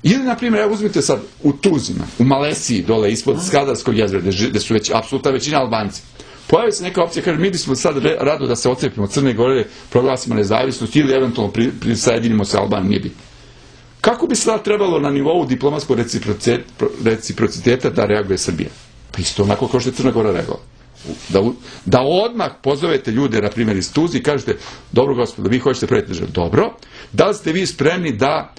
ili, na primjer, evo uzmite sad u Tuzima, u Malesiji, dole ispod Skadarskog jezera, gde su već apsolutna većina Albanci. Pojavi se neka opcija, kaže, mi bismo sad rado da se odcepimo od Crne Gore, proglasimo nezavisnost ili eventualno prisajedinimo se Albaniji, nije bitno. Kako bi sad trebalo na nivou diplomatskog reciprociteta da reaguje Srbija? Pa isto onako kao što je Crna Gora reagovala. Da odmah pozovete ljude, na primjer, iz Tuzi i kažete, dobro gospodo, vi hoćete praviti državu. Dobro, da li ste vi spremni da,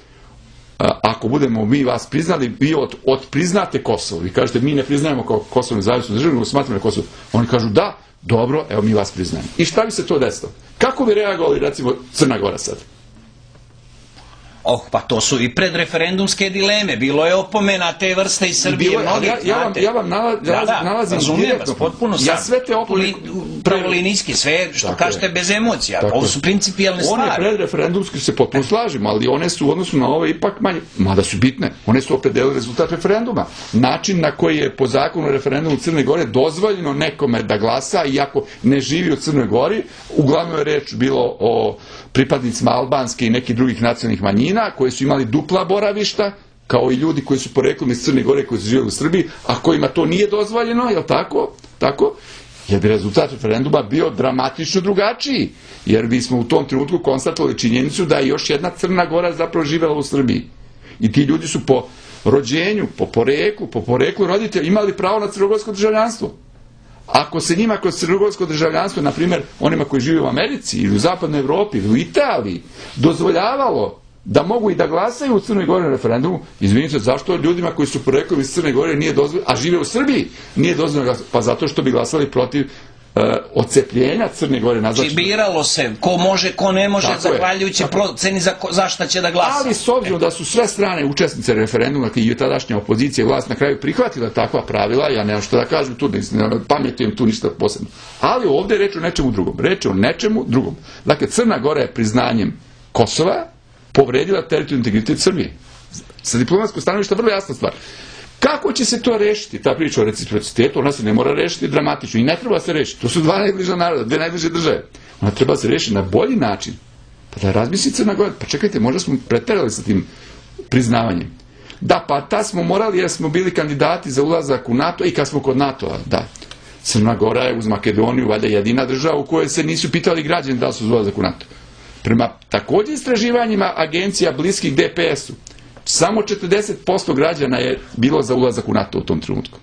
ako budemo mi vas priznali, vi odpriznate Kosovo. Vi kažete, mi ne priznajemo kao Kosovo nezavisnu državu, nego smatramo Kosovo. Oni kažu, da, dobro, evo mi vas priznajemo. I šta bi se to desilo? Kako bi reagovali, recimo, Crna Gora sad? Pa to su i predreferendumske dileme. Bilo je opomena te vrste iz Srbije. Ja vam nalazim direktno. Potpuno ja sve te opomene... Pravolinijski, sve što kažete bez emocija. Ovo su principijalne stvari. One predreferendumske se potpuno slažemo, ali one su u odnosu na ove ipak manje. Mada su bitne. One su opredelile rezultat referenduma. Način na koji je po zakonu referendumu Crne Gore dozvoljeno nekome da glasa, iako ne živi u Crnoj Gori, uglavnom je reč bilo o pripadnicima albanske i nekih drugih nacionalnih manjina, koji su imali dupla boravišta, kao i ljudi koji su poreklom iz Crne Gore, koji su živjeli u Srbiji, a kojima to nije dozvoljeno, je li tako? Tako? Jer bi rezultat referenduma bio dramatično drugačiji, jer bismo u tom trenutku konstatovali činjenicu da je još jedna Crna Gora zapravo živjela u Srbiji. I ti ljudi su po rođenju, po poreklu roditelja imali pravo na crnogorsko državljanstvo. Ako se njima kroz crnogorsko državljanstvo, na primjer onima koji žive u Americi ili u zapadnoj Evropi ili u Italiji, dozvoljavalo da mogu i da glasaju u Crnoj Gori na referendumu, izvinite, zašto ljudima koji su poreklom iz Crne Gore nije dozvoljeno, a žive u Srbiji, nije dozvoljeno glasati? Pa zato što bi glasali protiv odcepljenja Crne Gore. Znači biralo se ko može, ko ne može, zahvaljujući proceni za šta će da glasa. Ali s obzirom da su sve strane učesnice referenduma i tadašnja opozicija i vlast na kraju prihvatila takva pravila, ja nemam što da kažem tu, ne pametujem tu ništa posebno. Ali ovdje reč o nečemu drugom. Reč o nečemu drugom. Dakle, Crna Gora je priznanjem Kosova povredila teritorijalni integritet Srbije. Sa diplomatskog stanovišta vrlo jasna stvar. Kako će se to rešiti, ta priča o reciprocitetu? Ona se ne mora rešiti dramatično i ne treba se rešiti. To su dva najbliža naroda, dve najbliže države. Ona treba se rešiti na bolji način. Pa da razmisli Crna Gora. Pa čekajte, možda smo preterali sa tim priznavanjem. Da, pa ta smo morali jer smo bili kandidati za ulazak u NATO i kad smo kod NATO-a, da. Crna Gora je uz Makedoniju valjda jedina država u kojoj se nisu pitali građani da li su za ulazak u NATO. Prema također istraživanjima agencija bliskih DPS-u, samo 40% građana je bilo za ulazak u NATO u tom trenutku.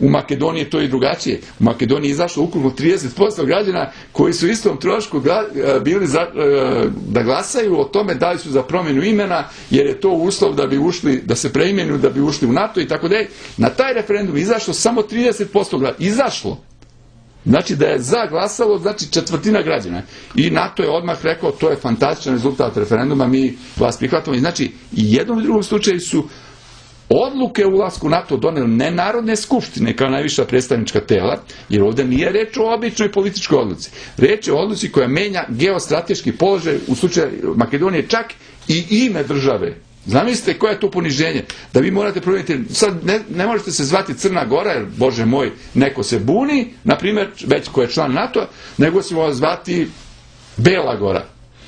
U Makedoniji je to i drugačije. U Makedoniji je izašlo ukupno 30% građana koji su istom trošku bili da glasaju o tome da li su za promjenu imena, jer je to uslov da bi ušli, da se preimenuju, da bi ušli u NATO i tako dalje. Na taj referendum je izašlo samo 30% građana. Izašlo. Znači da je za glasalo, znači četvrtina građana. I NATO je odmah rekao, to je fantastičan rezultat referenduma, mi vas prihvatamo. I znači, i jednom i drugom slučaju su odluke o ulasku u NATO doneli ne narodne skupštine kao najviša predstavnička tela, jer ovdje nije reč o običnoj političkoj odluci. Reč je o odluci koja menja geostrateški položaj u slučaju Makedonije, čak i ime države. Zamislite koje je to poniženje, da vi morate promijeniti, sad ne možete se zvati Crna Gora, jer bože moj, neko se buni, na primjer, već ko je član NATO, nego se vas zvati Bela Gora.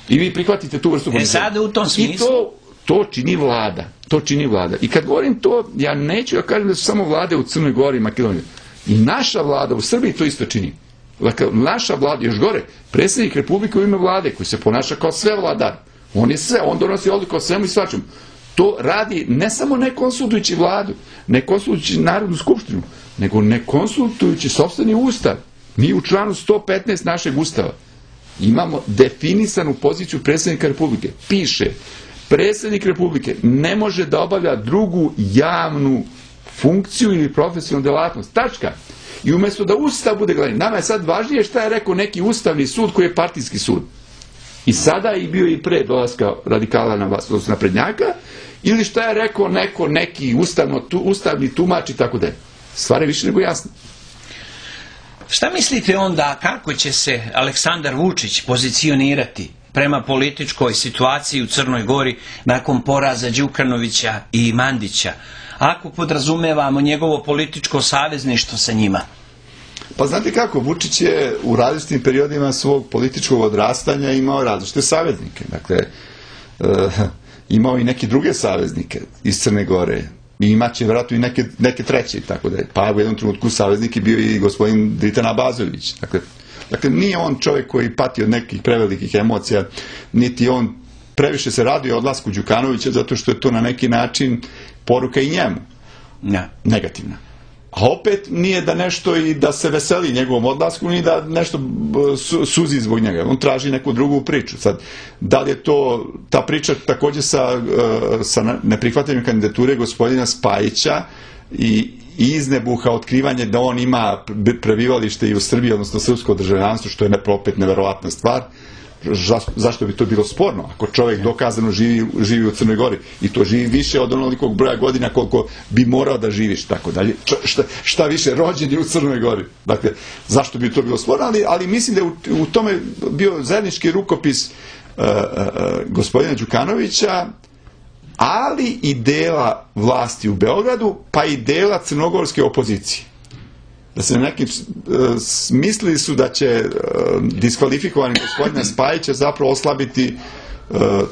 I vi prihvatite tu vrstu poniženja. Sada u tom smislu? I to čini vlada. To čini vlada. I kad govorim to, ja neću da kažem da su samo vlade u Crnoj Gori i Makedoniji. I naša vlada u Srbiji to isto čini. Dakle, naša vlada, još gore, predsjednik Republike u ime vlade, koji se ponaša kao sve vladar. On je sve, on donosi odluku o svemu i svačemu. To radi ne samo ne konsultujući vladu, ne konsultujući Narodnu skupštinu, nego ne konsultujući sopstveni ustav. Mi u članu 115 našeg ustava imamo definisanu poziciju predsjednika Republike. Piše, predsjednik Republike ne može da obavlja drugu javnu funkciju ili profesionalnu delatnost. Tačka. I umjesto da ustav bude glavni, nama je sad važnije šta je rekao neki ustavni sud koji je partijski sud. I sada je bio i pre dolaska radikala na vlast, odnosno naprednjaka, ili šta je rekao neki ustavni tumač i tako da je. Stvar je više nego jasna. Šta mislite onda kako će se Aleksandar Vučić pozicionirati prema političkoj situaciji u Crnoj Gori nakon poraza Đukanovića i Mandića, ako podrazumevamo njegovo političko savezništvo sa njima? Pa znate kako, Vučić je u različitim periodima svog političkog odrastanja imao različite saveznike. Dakle, imao i neke druge saveznike iz Crne Gore. I imaće vjerojatno i neke treće, tako da je. Pa u jednom trenutku saveznik je bio i gospodin Dritan Abazović. Dakle, nije on čovjek koji pati od nekih prevelikih emocija, niti on previše se raduje o odlasku Đukanovića, zato što je to na neki način poruka i njemu. Negativna. A opet nije da nešto i da se veseli njegovom odlasku, ni da nešto suzi zbog njega. On traži neku drugu priču. Sad, da li je to ta priča također sa neprihvatanjem kandidature gospodina Spajića i iznebuha otkrivanje da on ima prebivalište i u Srbiji, odnosno srpsko državljanstvo, što je opet neverovatna stvar. Zašto bi to bilo sporno ako čovjek dokazano živi u Crnoj Gori i to živi više od onolikog broja godina koliko bi morao da živiš, tako dalje, šta više rođen je u Crnoj Gori. Dakle, zašto bi to bilo sporno, ali mislim da je u tome bio zajednički rukopis gospodina Đukanovića, ali i dela vlasti u Beogradu, pa i dela crnogorske opozicije. Da se neki mislili su da će diskvalifikovani gospodina Spajića zapravo oslabiti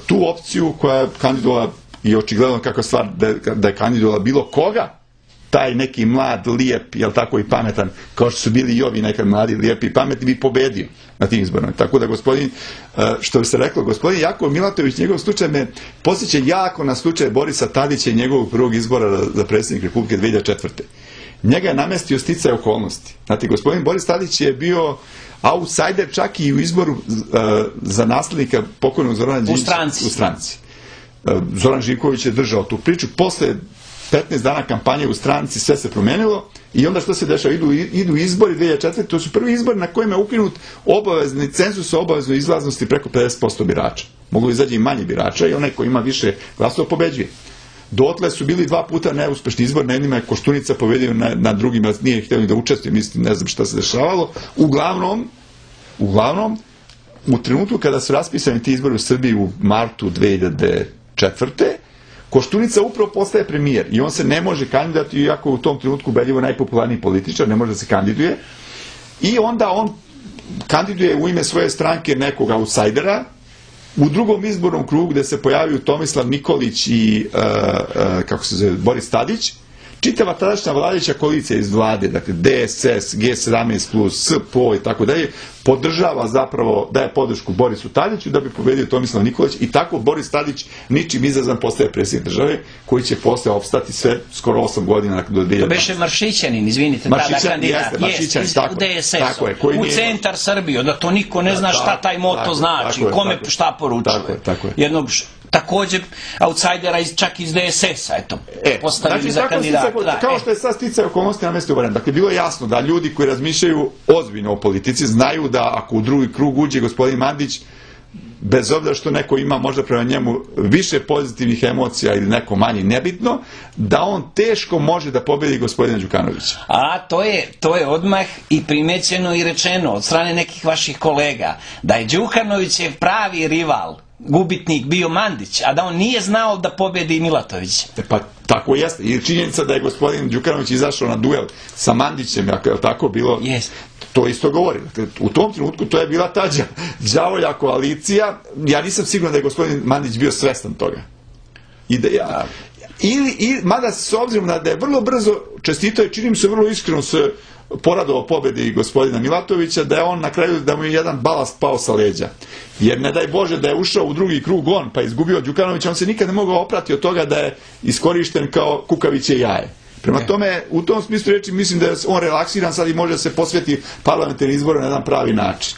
tu opciju koja je kandidovala, i očigledno kakva stvar da je kandidovala bilo koga, taj neki mlad, lijep, jel tako, i pametan, kao što su bili i ovi nekad mladi, lijepi i pametni, bi pobedio na tim izborima. Tako da gospodin, što bi se reklo, gospodin Jakov Milatović, njegov slučaj me posjeća jako na slučaj Borisa Tadića i njegovog prvog izbora za predsjednik Republike 2004. njega je namestio sticaj okolnosti. Znate, gospodin Boris Tadić je bio outsider čak i u izboru za naslednika pokojnog Zorana Đinđića u stranci. Zoran Živković je držao tu priču. Posle 15 dana kampanje u stranci sve se promenilo i onda što se dešava? Idu izbori 2004. To su prvi izbori na kojima je ukinut obavezni cenzus o obaveznoj izlaznosti preko 50% birača. Moglo izađe i manje birača i onaj ko ima više glasova pobeđuje. Dotle su bili 2 puta neuspešni izbor, na jednima je Koštunica pobedio, na drugima nije htio ni da učestvuje, mislim, ne znam šta se dešavalo. Uglavnom, u trenutku kada su raspisani ti izbori u Srbiji u martu 2004. Koštunica upravo postaje premijer i on se ne može kandidati, iako u tom trenutku ubedljivo najpopularniji političar, ne može da se kandiduje. I onda on kandiduje u ime svoje stranke nekog outsidera. U drugom izbornom krugu gde se pojavio Tomislav Nikolić i Boris Tadić, čitava tadašnja vladajuća koalicija iz vlade, dakle DSS, G17+, SPO i tako dalje, podržava zapravo, daje podršku Borisu Tadiću da bi pobedio Tomislav Nikolić i tako Boris Tadić ničim izazvan postaje predsjednik države koji će posle opstati sve skoro 8 godina do 2012. To beše Maršićanin, izvinite, tada kandidat, u centar Srbije, da to niko ne zna šta taj moto znači, kome šta poručuje. Jednog također outsidera čak iz DSS-a, eto, postavili za kandidata. Kao što je sad sticaj okolnosti na mestu variant. Dakle, bilo je jasno da ljudi koji razmišljaju ozbiljno o politici znaju da ako u drugi krug uđe gospodin Mandić, bez obzira što neko ima možda prema njemu više pozitivnih emocija ili neko manje, nebitno, da on teško može da pobedi gospodina Đukanovića. A to je odmah i primećeno i rečeno od strane nekih vaših kolega, da je Đukanovićev pravi rival, gubitnik bio Mandić, a da on nije znao da pobedi Milatović. Pa tako jeste. I činjenica da je gospodin Đukanović izašao na duel sa Mandićem, ako je tako bilo, to isto govori. U tom trenutku to je bila ta đavolja koalicija. Ja nisam siguran da je gospodin Mandić bio svestan toga. Mada s obzirom da je vrlo brzo čestitao i čini mi se vrlo iskreno se poradovao pobedi gospodina Milatovića, da je on na kraju, da mu je jedan balast pao sa leđa. Jer ne daj Bože da je ušao u drugi krug on, pa izgubio Đukanovića, on se nikad ne mogao oprati od toga da je iskorišten kao kukaviće jaje. Prema tome, u tom smislu reči mislim da je on relaksiran sad i može da se posveti parlamentarnim izboru na jedan pravi način.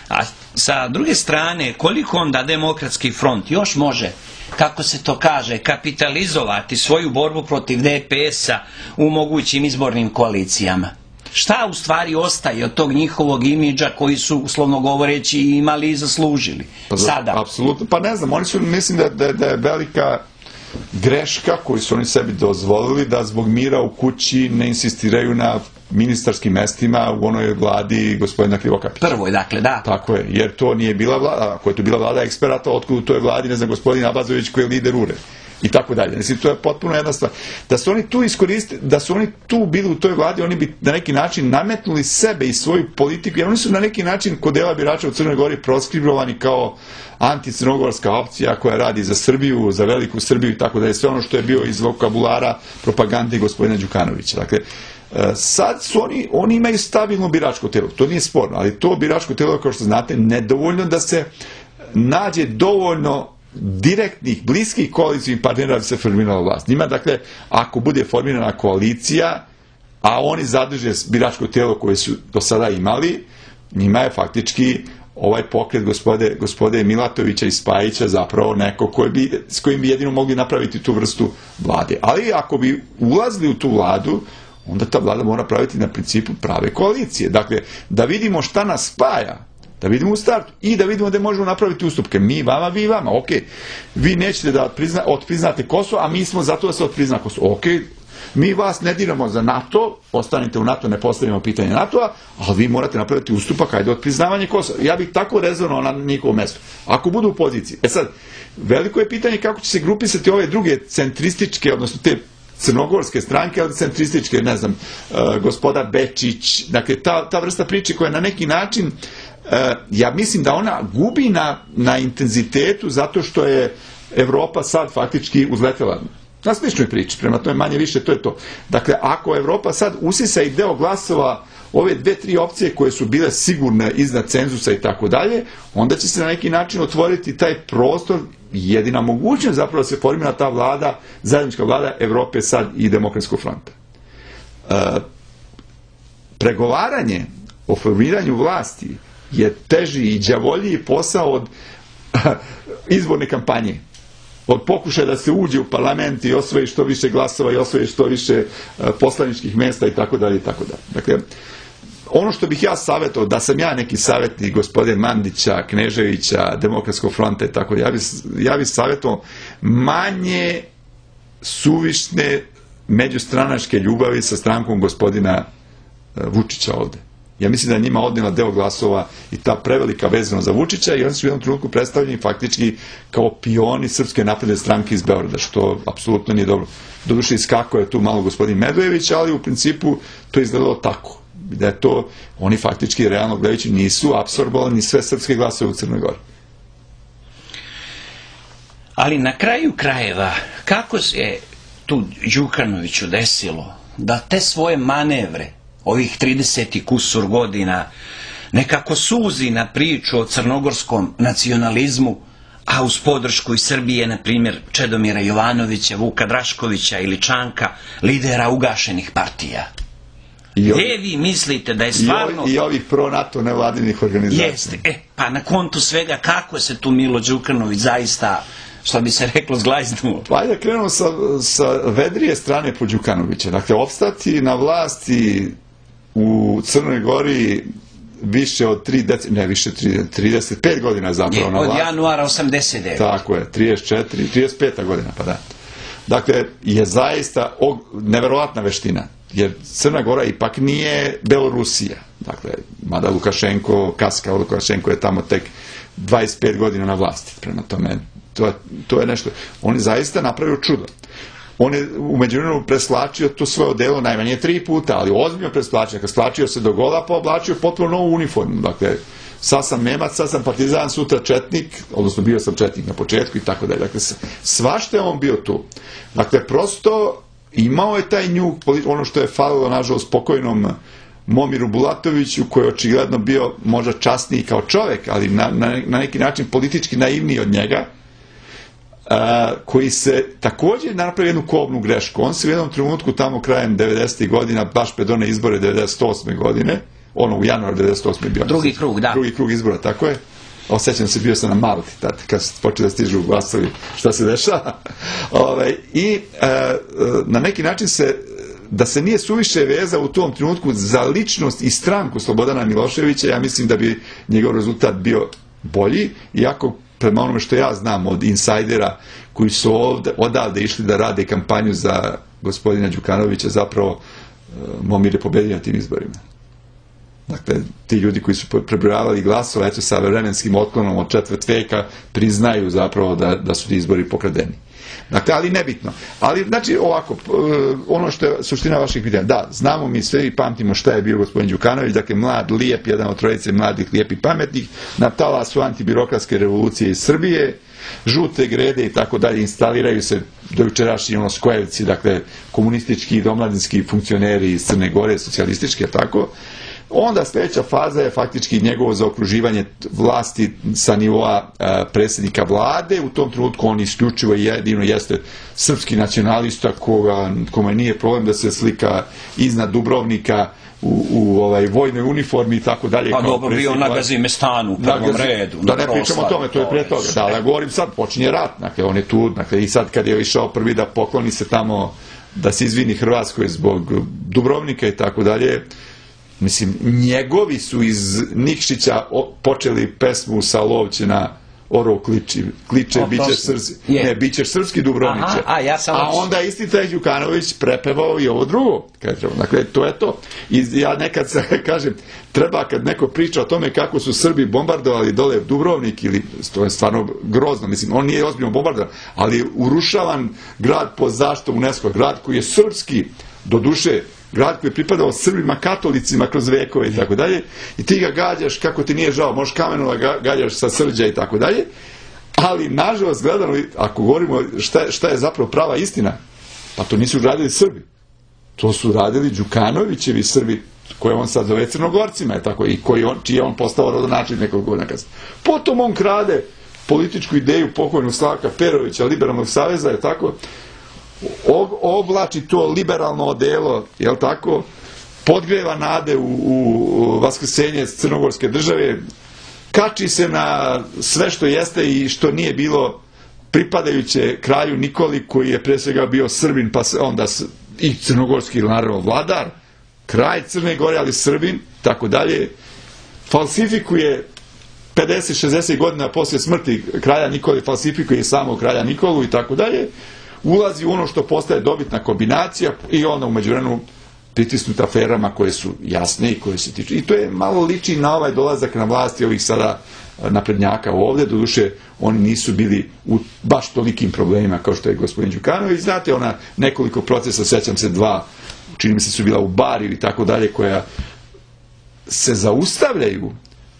A sa druge strane, koliko onda Demokratski front još može, kako se to kaže, kapitalizovati svoju borbu protiv DPS-a u mogućim izbornim koalicijama? Šta u stvari ostaje od tog njihovog imidža koji su, uslovno govoreći, imali i zaslužili sada? Apsolutno, pa ne znam, oni su, mislim da je velika greška koju su oni sebi dozvolili da zbog mira u kući ne insistiraju na ministarskim mestima u onoj vladi gospodina Krivokapića. Prvoj, dakle, da. Tako je, jer to nije bila vlada, ako je to bila vlada eksperata, otkud u toj vladi, ne znam, gospodin Abazović koji je lider URE. I tako dalje. Mislim, to je potpuno jedna stvar. Da su oni tu iskoristili, da su oni tu bili u toj vladi, oni bi na neki način nametnuli sebe i svoju politiku, jer oni su na neki način kod dela birača u Crnoj Gori proskribovani kao anticrnogorska opcija koja radi za Srbiju, za veliku Srbiju i tako dalje. Sve ono što je bio iz vokabulara propagande gospodina Đukanovića. Dakle, sad su oni imaju stabilno biračko telo, to nije sporno, ali to biračko telo, kao što znate, nedovoljno da se nađe dovoljno direktnih, bliskih koalicijnih partnera da bi se formirala vlast. Njima, dakle, ako bude formirana koalicija, a oni zadrže biračko telo koje su do sada imali, njima je faktički ovaj pokret gospode Milatovića i Spajića zapravo neko s kojim bi jedino mogli napraviti tu vrstu vlade. Ali ako bi ulazili u tu vladu, onda ta vlada mora praviti na principu prave koalicije. Dakle, da vidimo šta nas spaja, da vidimo u startu i da vidimo da možemo napraviti ustupke. Mi vama, vi vama. Ok, vi nećete da otpriznate Kosovo, a mi smo zato da se otprizna Kosovo. Ok, mi vas ne diramo za NATO, ostanite u NATO, ne postavimo pitanje NATO-a, ali vi morate napraviti ustupak, ajde otpriznavanje Kosova. Ja bih tako rezonao na njihovo mesto. Ako budu u poziciji. Sad, veliko je pitanje kako će se grupisati ove druge centrističke, odnosno te crnogorske stranke, ali centrističke, ne znam, gospoda Bečić, dakle, ta vrsta priče koja na neki način, ja mislim da ona gubi na intenzitetu zato što je Evropa sad faktički uzletela na sličnoj priči, prema tome manje više to je to. Dakle, ako Evropa sad usisa i deo glasova ove 2-3 opcije koje su bile sigurne iznad cenzusa i tako dalje, onda će se na neki način otvoriti taj prostor, jedina mogućnost zapravo da se formira ta vlada, zajednička vlada Evrope sad i Demokratskog fronta. pregovaranje o formiranju vlasti je teži i đavoljiji posao od izborne kampanje, od pokušaja da se uđe u parlament i osvoji što više glasova i osvoji što više poslaničkih mesta i tako dalje i tako dalje. Dakle, ono što bih ja savjetovao, da sam ja neki savjetnik gospodine Mandića, Kneževića, Demokratskog fronta i tako, ja bih savjetovao manje suvišne međustranačke ljubavi sa strankom gospodina Vučića ovde. Ja mislim da je njima odnela deo glasova i ta prevelika vezana za Vučića i oni su u jednom trenutku predstavljeni faktički kao pioni Srpske napredne stranke iz Beograda, što apsolutno nije dobro. Doduše iskako je tu malo gospodin Medvejević, ali u principu to je izgledalo tako. Da je to, oni faktički realno gledajući nisu apsorbovali ni sve srpske glasove u Crnoj Gori. Ali na kraju krajeva, kako se tu Đukanoviću desilo da te svoje manevre ovih 30 i kusur godina nekako suzi na priču o crnogorskom nacionalizmu, a uz podršku iz Srbije, na primjer, Čedomira Jovanovića, Vuka Draškovića ili Čanka, lidera ugašenih partija? Gdje vi mislite da je stvarno... I ovih pro-NATO nevladinih organizacija. Jeste, pa na kontu svega, kako se tu Milo Đukanović zaista, što bi se reklo, zglajznuo? Pa ajde krenemo sa vedrije strane po Đukanovića. Dakle, opstati na vlasti u Crnoj Gori više od 35 godina zapravo na vlasti. Od januara 89. Tako je, 35. godina, pa da. Dakle, je zaista neverovatna veština, jer Crna Gora ipak nije Belorusija. Dakle, mada Lukašenko je tamo tek 25 godina na vlasti. Prema tome, to je nešto. On je zaista napravio čudo. On je u međuvremenu preslačio to svoje odelo najmanje 3 puta, ali ozbiljno preslačio. Kad slačio se do gola, pa oblačio potpuno novu uniformu. Dakle, sad sam Nemac, sad sam partizan, sutra četnik, odnosno bio sam četnik na početku i tako dalje. Dakle, svašta je on bio tu. Dakle, prosto imao je taj njuk, ono što je falilo, nažalost, spokojnom Momiru Bulatoviću, koji je očigledno bio možda časniji kao čovek, ali na neki način politički naivniji od njega, koji se također napravio jednu kobnu grešku. On se u jednom trenutku tamo krajem 90. godina, baš pred one izbore 98. godine, ono u januaru 98. bio. Drugi krug, da. Drugi krug izbora, tako je. Osjećam se, bio sam na Malti, kad se počeli da stižu glasovi, šta se dešava. I na neki način da se nije suviše vezao u tom trenutku za ličnost i stranku Slobodana Miloševića, ja mislim da bi njegov rezultat bio bolji, iako prema onome što ja znam od insajdera koji su odavde išli da rade kampanju za gospodina Đukanovića, zapravo Momir je pobedio na tim izborima. Dakle, ti ljudi koji su prebrojavali glasova, eto, sa vremenskim otklonom od 4 veka, priznaju zapravo da su ti izbori pokradeni. Dakle, ali nebitno. Ali, znači, ovako, ono što je suština vaših pitanja, da, znamo mi sve i pamtimo šta je bio gospodin Đukanović, dakle, mlad, lijep, jedan od trojice mladih, lijepih, pametnih, na talasu antibirokratske revolucije iz Srbije, žute grede i tako dalje, instaliraju se do jučerašnji skojevci, dakle, komunistički i domladinski funkcioneri iz Crne Gore, socijalističke, tako. Onda sljedeća faza je faktički njegovo zaokruživanje vlasti sa nivoa predsjednika vlade. U tom trenutku on isključivo i jedino jeste srpski nacionalista kome nije problem da se slika iznad Dubrovnika u vojnoj uniformi i tako dalje. Pa dobro, bio na Gazimestanu u prvom redu. Da ne pričamo o tome, to je pre toga. Da, ja govorim sad, počinje rat, dakle, on je tu, dakle, i sad kad je išao prvi da pokloni se tamo, da se izvini Hrvatskoj zbog Dubrovnika i tako dalje. Mislim, njegovi su iz Nikšića počeli pesmu sa Lovće na orov kliče, bićeš srpski Dubrovniče. A onda isti taj Đukanović prepevao i ovo drugo. Dakle, to je to. I ja nekad kažem, treba kad neko priča o tome kako su Srbi bombardovali dole Dubrovnik, ili to je stvarno grozno, mislim, on nije ozbiljno bombardovan, ali urušavan grad pod zaštitom UNESCO, grad koji je srpski, do duše, grad koji je pripadao Srbima, katolicima kroz vekove i tako dalje, i ti ga gađaš kako ti nije žao, možeš kamenom da gađaš sa Srđa i tako dalje, ali nažalost gledano, ako govorimo šta je zapravo prava istina, pa to nisu radili Srbi, to su radili Đukanovićevi Srbi, koje on sad zove Crnogorcima, je tako, i čiji je on postao rodonačelnik nekog godina kasnije. Potom on krade političku ideju pokojnog Slavka Perovića, Liberalnog saveza, je tako, oblači to liberalno odelo, jel tako, podgreva nade u vaskrsenje crnogorske države, kači se na sve što jeste i što nije bilo pripadajuće kralju Nikoli, koji je pre svega bio Srbin, pa onda i crnogorski, naravno, vladar, kralj Crne Gore, ali Srbin, tako dalje, falsifikuje 50-60 godina poslije smrti kralja Nikole, falsifikuje samog kralja Nikolu i tako dalje, ulazi u ono što postaje dobitna kombinacija i onda u međuvremenu pritisnut aferama koje su jasne i koje se tiču. I to je malo liči na ovaj dolazak na vlasti ovih sada naprednjaka ovde, doduše oni nisu bili u baš tolikim problemima kao što je gospodin Đukanović. Znate, ona nekoliko procesa, sećam se 2, čini mi se su bila u Bariju i tako dalje, koja se zaustavljaju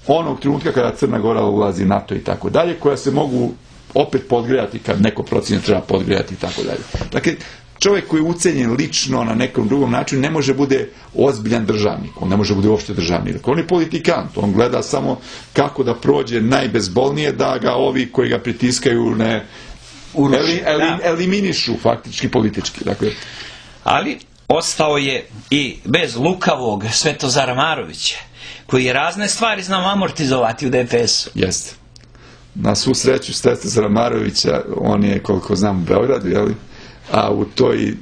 onog trenutka kada Crna Gora ulazi NATO i tako dalje, koja se mogu opet podgrejati kad neko procjenje treba podgrejati i tako dalje. Dakle, čovjek koji je ucenjen lično na nekom drugom načinu ne može bude ozbiljan državnik, on ne može bude uopšte državnik. On je politikant, on gleda samo kako da prođe najbezbolnije, da ga ovi koji ga pritiskaju ne eliminišu faktički politički. Dakle, ali ostao je i bez lukavog Svetozara Marovića, koji je razne stvari znao amortizovati u DPS-u. Jeste. Na svu sreću Svetozara Marovića, on je, koliko znam, u Beogradu, jeli? A u toj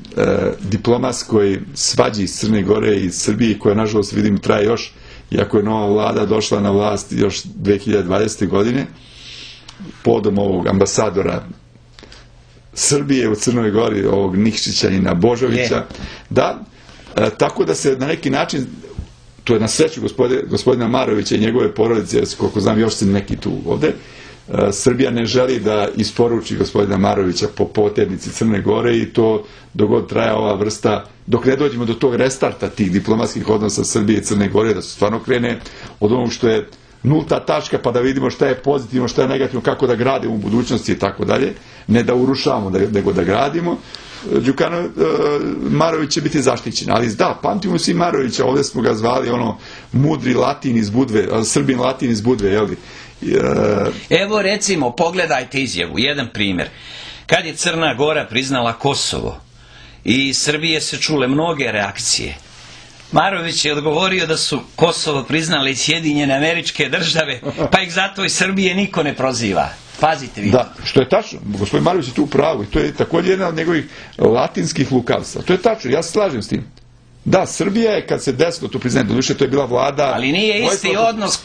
diplomatskoj svađi iz Crne Gore i Srbije, koja nažalost vidim traje još, iako je nova vlada došla na vlast još 2020. godine, podom ovog ambasadora Srbije u Crnoj Gori, ovog Nikšićanina Božovića, da, tako da se na neki način, to je na sreću gospodina Marovića i njegove porodice, koliko znam još se neki tu ovde, Srbija ne želi da isporuči gospodina Marovića po poternici Crne Gore i to dok god traja ova vrsta, dok ne dođemo do tog restarta tih diplomatskih odnosa Srbije i Crne Gore, da se stvarno krene od onog što je nulta tačka, pa da vidimo šta je pozitivno, šta je negativno, kako da gradimo u budućnosti i tako dalje, ne da urušavamo, nego da gradimo. Marović će biti zaštićen, ali da, pamtimo svi Marovića, ovdje smo ga zvali ono mudri Latin iz Budve, Srbin Latin iz Budve, jel' Evo recimo, pogledajte izjavu, jedan primjer. Kad je Crna Gora priznala Kosovo i Srbije se čule mnoge reakcije, Marović je odgovorio da su Kosovo priznale i Sjedinjene Američke Države, pa ih zato i Srbije niko ne proziva. Pazite vi. Da, što je tačno. Gospodin Marović je tu u pravu i to je također jedna od njegovih latinskih lukavstva. To je tačno, ja se slažem s tim. Da, Srbija je, kad se desilo to priznanje, doduše to je bila vlada... Ali nije isti odnos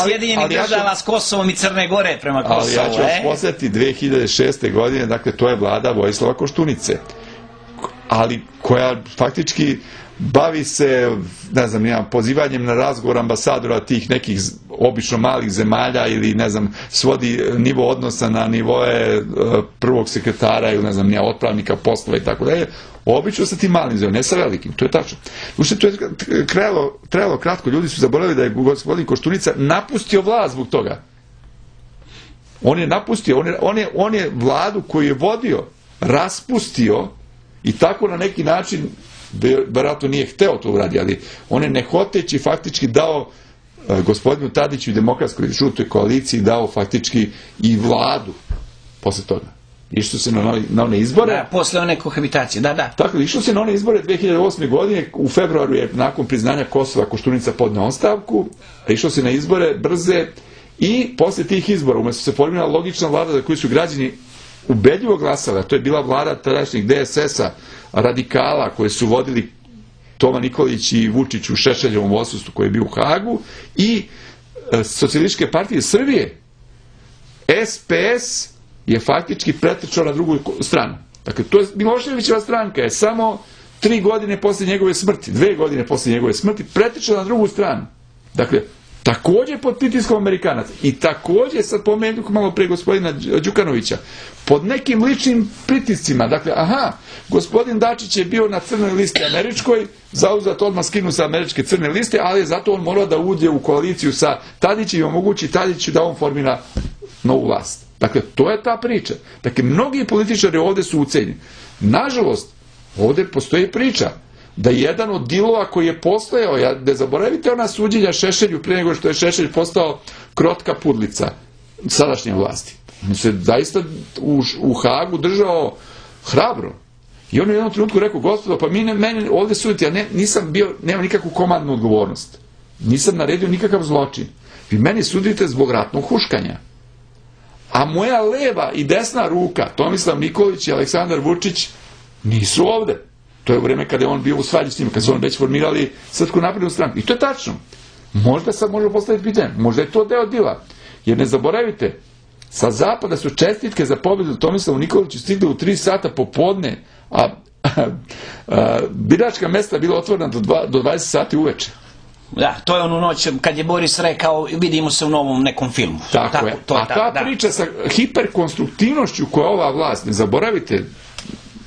Sjedinjenih Država s Kosovom i Crne Gore prema Kosovu. Ali ja ću vas posjetiti 2006. godine, dakle to je vlada Vojislava Koštunice, ali koja faktički bavi se, ne znam, pozivanjem na razgovor ambasadora tih nekih obično malih zemalja ili, ne znam, svodi nivo odnosa na nivoe prvog sekretara ili, ne znam, otpravnika poslova i tako dalje, obično sa tim malim zemljama, ne sa velikim, to je tačno. Ušte, to je trajalo kratko, ljudi su zaboravili da je gospodin Koštunica napustio vlast zbog toga. On je napustio, on je vladu koju je vodio, raspustio i tako na neki način, vjerojatno nije hteo to uradi, ali on je nehoteći faktički dao gospodinu Tadiću i demokratskoj žutoj koaliciji, dao faktički i vladu posle toga. Išlo se na one izbore. Da, posle one kohabitacije, da. Tako, išlo se na one izbore 2008. godine, u februaru je nakon priznanja Kosova Koštunica podneo ostavku, išlo se na izbore brze i posle tih izbora, umesto se formirala logična vlada za koju su građani ubedljivo glasali, a to je bila vlada tadašnjeg DSS-a, radikala koje su vodili Toma Nikolić i Vučić u Šešeljevom odsustvu koji je bio u Hagu i Socijalističke partije Srbije. SPS je faktički pretrčao na drugu stranu. Dakle, to je Miloševićeva stranka, je samo 3 godine posle njegove smrti, 2 godine posle njegove smrti, pretrčao na drugu stranu. Dakle, također pod pritiskom Amerikanaca i također, sad pomenuo malo pre gospodina Đukanovića, pod nekim ličnim pritiscima. Dakle, gospodin Dačić je bio na crnoj listi američkoj, zauzat odmah skinu sa američke crne liste, ali je zato on morao da uđe u koaliciju sa Tadićem i omogući Tadiću da on formira novu vlast. Dakle, to je ta priča. Dakle, mnogi političari ovdje su ucenjeni. Nažalost, ovdje postoji priča da jedan od dilova koji je postojao, ne zaboravite ona suđenja Šešelju prije nego što je Šešelj postao krotka pudlica sadašnje vlasti. On se zaista u Hagu držao hrabro I on u jednom trenutku rekao, gospodo, pa meni ovdje suditi, ja nisam bio, nemam nikakvu komandnu odgovornost. Nisam naredio nikakav zločin. Vi meni sudite zbog ratnog huškanja. A moja leva i desna ruka, Tomislav Nikolić i Aleksandar Vučić, nisu ovde. To je u vreme kada je on bio u svađi s njima, kada su on već formirali Srpsku naprednu stranku. I to je tačno. Možda sad možemo postaviti pitanje, možda je to deo dila. Jer ne zaboravite, sa zapada su čestitke za pobedu Tomislavu Nikoliću stigle u 3 sata popodne, a biračka mesta bila otvorena do 20 sati uveče. Da, to je onu noć kad je Boris rekao vidimo se u novom nekom filmu. Tako je. A ta priča sa hiperkonstruktivnošću koja ova vlast, ne zaboravite,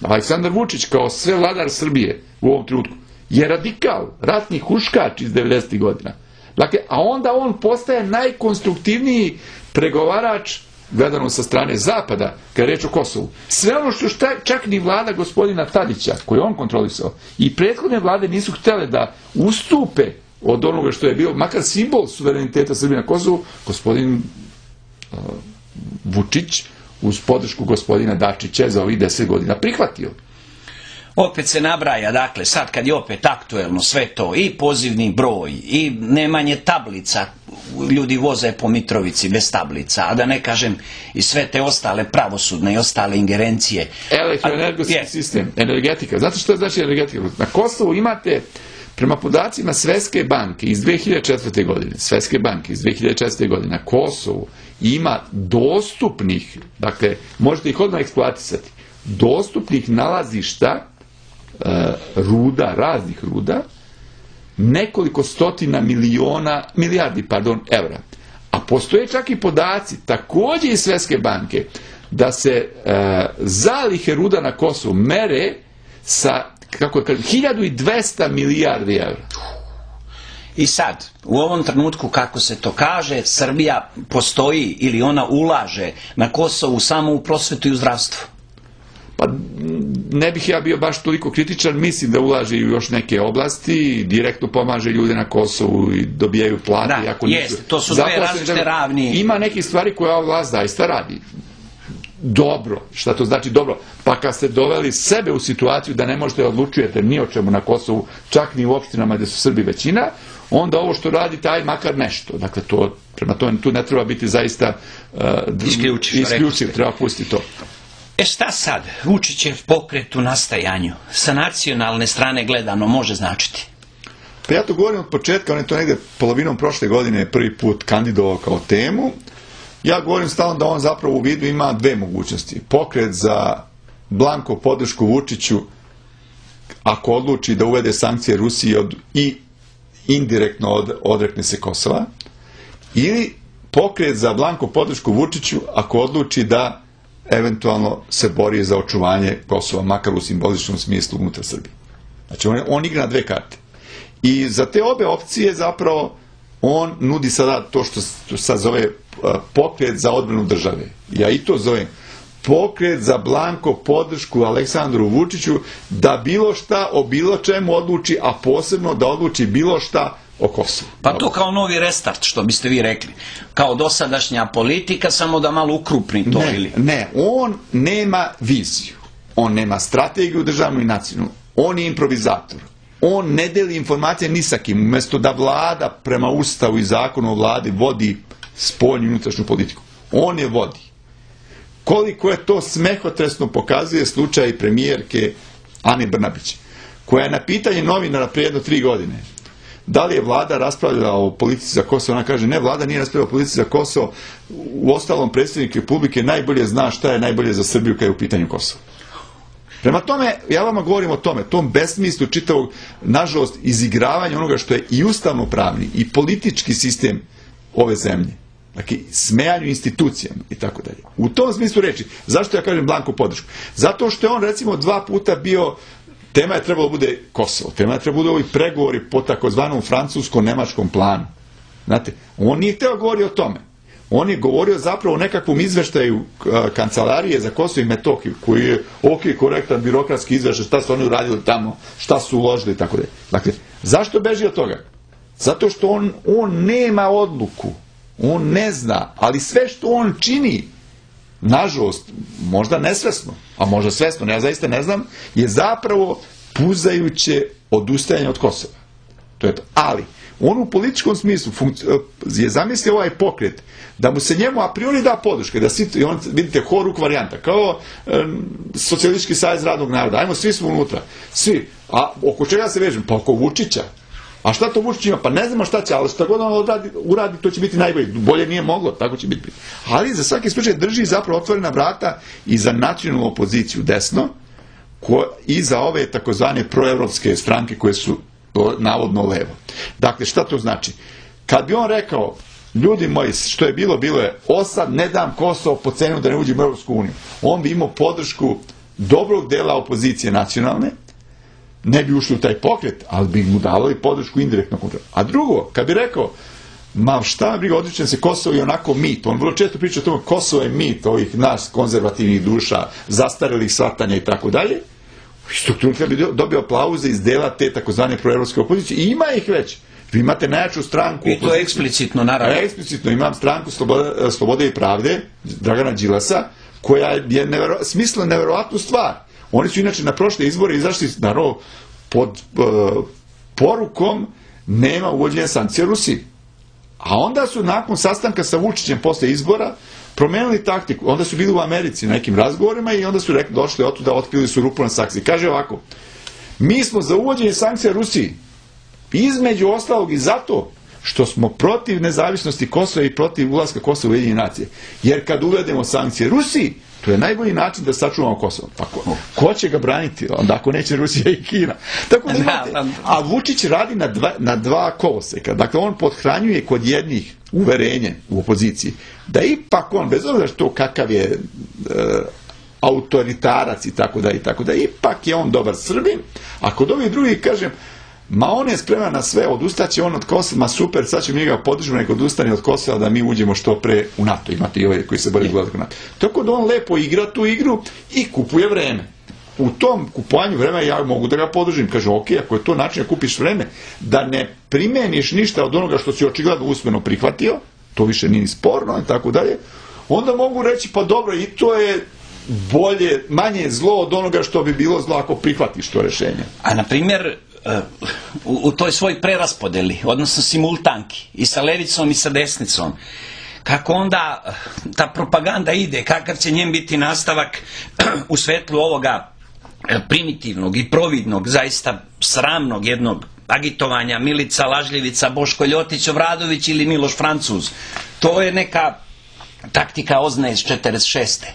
Aleksandar Vučić kao sve vladar Srbije u ovom trenutku je radikal, ratni huškač iz 90. godina. Dakle, a onda on postaje najkonstruktivniji pregovarač gledano sa strane Zapada, kada je reč o Kosovu. Sve ono što čak ni vlada gospodina Tadića, koju on kontrolisao, i prethodne vlade nisu htjele da ustupe od onoga što je bio makar simbol suvereniteta Srbije na Kosovu, gospodin Vučić uz podršku gospodina Dačića za ovih 10 godina prihvatio. Opet se nabraja, dakle, sad kad je opet aktuelno sve to, i pozivni broj, i nemanje tablica, ljudi voze po Mitrovici bez tablica, a da ne kažem i sve te ostale pravosudne i ostale ingerencije. Elektroenergetski sistem, energetika. Znate što znači energetika? Na Kosovu imate, prema podacima Svetske banke iz 2004. godine, na Kosovu ima dostupnih, dakle, možete ih odmah eksploatisati, dostupnih nalazišta ruda, raznih ruda, nekoliko stotina milijardi evra. A postoje čak i podaci, također iz Svetske banke, da se zalihe ruda na Kosovu mere sa, kako je, 1200 milijardi evra. I sad, u ovom trenutku, kako se to kaže, Srbija postoji ili ona ulaže na Kosovu samo u prosvetu i u zdravstvu. Pa ne bih ja bio baš toliko kritičan, mislim da ulaže i u još neke oblasti, direktno pomaže ljude na Kosovu i dobijaju plate. Da, jeste, to su dve različite ravni. Ima neke stvari koje ova vlast zaista radi. Dobro, šta to znači dobro? Pa kad ste doveli sebe u situaciju da ne možete odlučujete ni o čemu na Kosovu, čak ni u opštinama gdje su Srbi većina, onda ovo što radite, aj makar nešto. Dakle, prema tome tu ne treba biti zaista isključiv, treba pustiti to. Šta sad Vučićev pokret u nastajanju sa nacionalne strane gledano može značiti? Pa ja to govorim od početka, on je to negdje polovinom prošle godine prvi put kandidovao kao temu. Ja govorim stalno da on zapravo u vidu ima dve mogućnosti. Pokret za blanko podršku Vučiću ako odluči da uvede sankcije Rusiji i indirektno odrekne se Kosova, ili pokret za blanko podršku Vučiću ako odluči da eventualno se bori za očuvanje Kosova, makar u simboličnom smislu unutar Srbije. Znači, on igra na dve karte. I za te obe opcije zapravo on nudi sada to što sad zove pokret za odbranu države. Ja i to zovem pokret za blanko podršku Aleksandru Vučiću da bilo šta o bilo čemu odluči, a posebno da odluči bilo šta o Kosovu. Pa to kao novi restart, što biste vi rekli. Kao dosadašnja politika, samo da malo ukrupni to. Ne, on nema viziju. On nema strategiju državnu i nacionalnu. On je improvizator. On ne deli informacije ni sa kim. Umjesto da vlada prema Ustavu i zakonu o vladi vodi spoljnu i unutrašnju politiku. On je vodi. Koliko je to smehotresno pokazuje slučaj premijerke Ane Brnabić, koja je na pitanje novinara prije jedno 3 godine da li je vlada raspravljala o politici za Kosovo, ona kaže ne, vlada nije raspravljala o politici za Kosovo, u ostalom predsjednik Republike najbolje zna šta je najbolje za Srbiju kada je u pitanju Kosovo. Prema tome, ja vama govorim o tome, tom besmislu čitavog, nažalost, izigravanja onoga što je i ustavno-pravni i politički sistem ove zemlje. Dakle, smejanju institucijama i tako dalje. U tom smislu reći, zašto ja kažem blanko podršku? Zato što je on, recimo, 2 puta bio, tema je trebalo bude Kosovo, tema je trebalo bude ovi pregovori po takozvanom francusko-nemačkom planu. Znate, on nije htio govoriti o tome. On je govorio zapravo o nekakvom izveštaju Kancelarije za Kosovo i Metohiju, koji je korektan birokratski izveštaj, šta su oni uradili tamo, šta su uložili i tako dalje. Dakle, zašto beži od toga? Zato što on nema odluku. On ne zna, ali sve što on čini nažalost, možda nesvesno, a možda svesno, ja zaista ne znam, je zapravo puzajuće odustajanje od Kosova. To je to. Ali, on u političkom smislu je zamislio ovaj pokret, da mu se njemu a priori da podrška, da svi, on, vidite, horuk varijanta, kao Socijalistički savez radnog naroda, ajmo, svi smo unutra, svi, a oko čega se vežem? Pa oko Vučića. A šta to Vučić ima? Pa ne znamo šta će, ali šta god on uradi, to će biti najbolje. Bolje nije moglo, tako će biti. Ali za svaki slučaj drži zapravo otvorena vrata i za nacionalnu opoziciju desno, i za ove takozvane proevropske stranke koje su navodno levo. Dakle, šta to znači? Kad bi on rekao, ljudi moji, što je bilo, bilo je, osad ne dam Kosovo po cenu da ne uđem u Europsku uniju, on bi imao podršku dobrog dela opozicije nacionalne, ne bi ušli u taj pokret, ali bi mu davali podršku indirektno. A drugo, kad bi rekao, ma šta me briga, odričem se, Kosovo je onako mit, on vrlo često priča o tome, Kosovo je mit ovih nas konzervativnih duša, zastarelih shvatanja i tako dalje, strukturno bi dobio aplauze iz dela te takozvane proevropske opozicije, i ima ih već. Vi imate najjaču stranku. I to je eksplicitno, naravno. Eksplicitno, imam stranku Slobode i pravde, Dragana Đilasa, koja je smislila neverovatnu stvar. Oni su inače na prošle izbore izašli, naravno, pod porukom nema uvođenja sankcija Rusiji. A onda su nakon sastanka sa Vučićem posle izbora promenili taktiku. Onda su bili u Americi na nekim razgovorima i onda su došli otuda, otkrili su rupu na sankcije. Kaže ovako, mi smo za uvođenje sankcija Rusiji, između ostalog i zato što smo protiv nezavisnosti Kosova i protiv ulaska Kosova u Ujedinjene nacije. Jer kad uvedemo sankcije Rusiji, to je najbolji način da sačuvamo Kosovo. Pa ko će ga braniti? Onda ako neće Rusija i Kina. Tako da imate, a Vučić radi na dva koloseka. Dakle, on podhranjuje kod jednih uverenje u opoziciji da ipak on, bez obzira što kakav je autoritarac i tako da, ipak je on dobar Srbin, a kod ovih drugih, kažem, ma on je spreman na sve, odustaće on od Kosova, ma super, sad ćemo njega podržati, nek odustane od Kosova da mi uđemo što pre u NATO. Imate i ove koji se bori gledati u NATO. Tako da on lepo igra tu igru i kupuje vreme. U tom kupovanju vremena ja mogu da ga podržim. Kažem, ok, ako je to način da kupiš vreme, da ne primeniš ništa od onoga što si očigledno usmeno prihvatio, to više nije ni sporno, i tako dalje, onda mogu reći, pa dobro, i to je bolje, manje zlo od onoga što bi bilo zlo ako prihvatiš to rešenje. A na primjer, u toj svoj preraspodeli, odnosno simultanki, i sa levicom i sa desnicom, kako onda ta propaganda ide, kakav će njen biti nastavak u svetlu ovoga primitivnog i providnog, zaista sramnog jednog agitovanja Milica Lažljevica, Boško Ljotić, Obradović ili Miloš Francuz. To je neka taktika OZNA iz 46.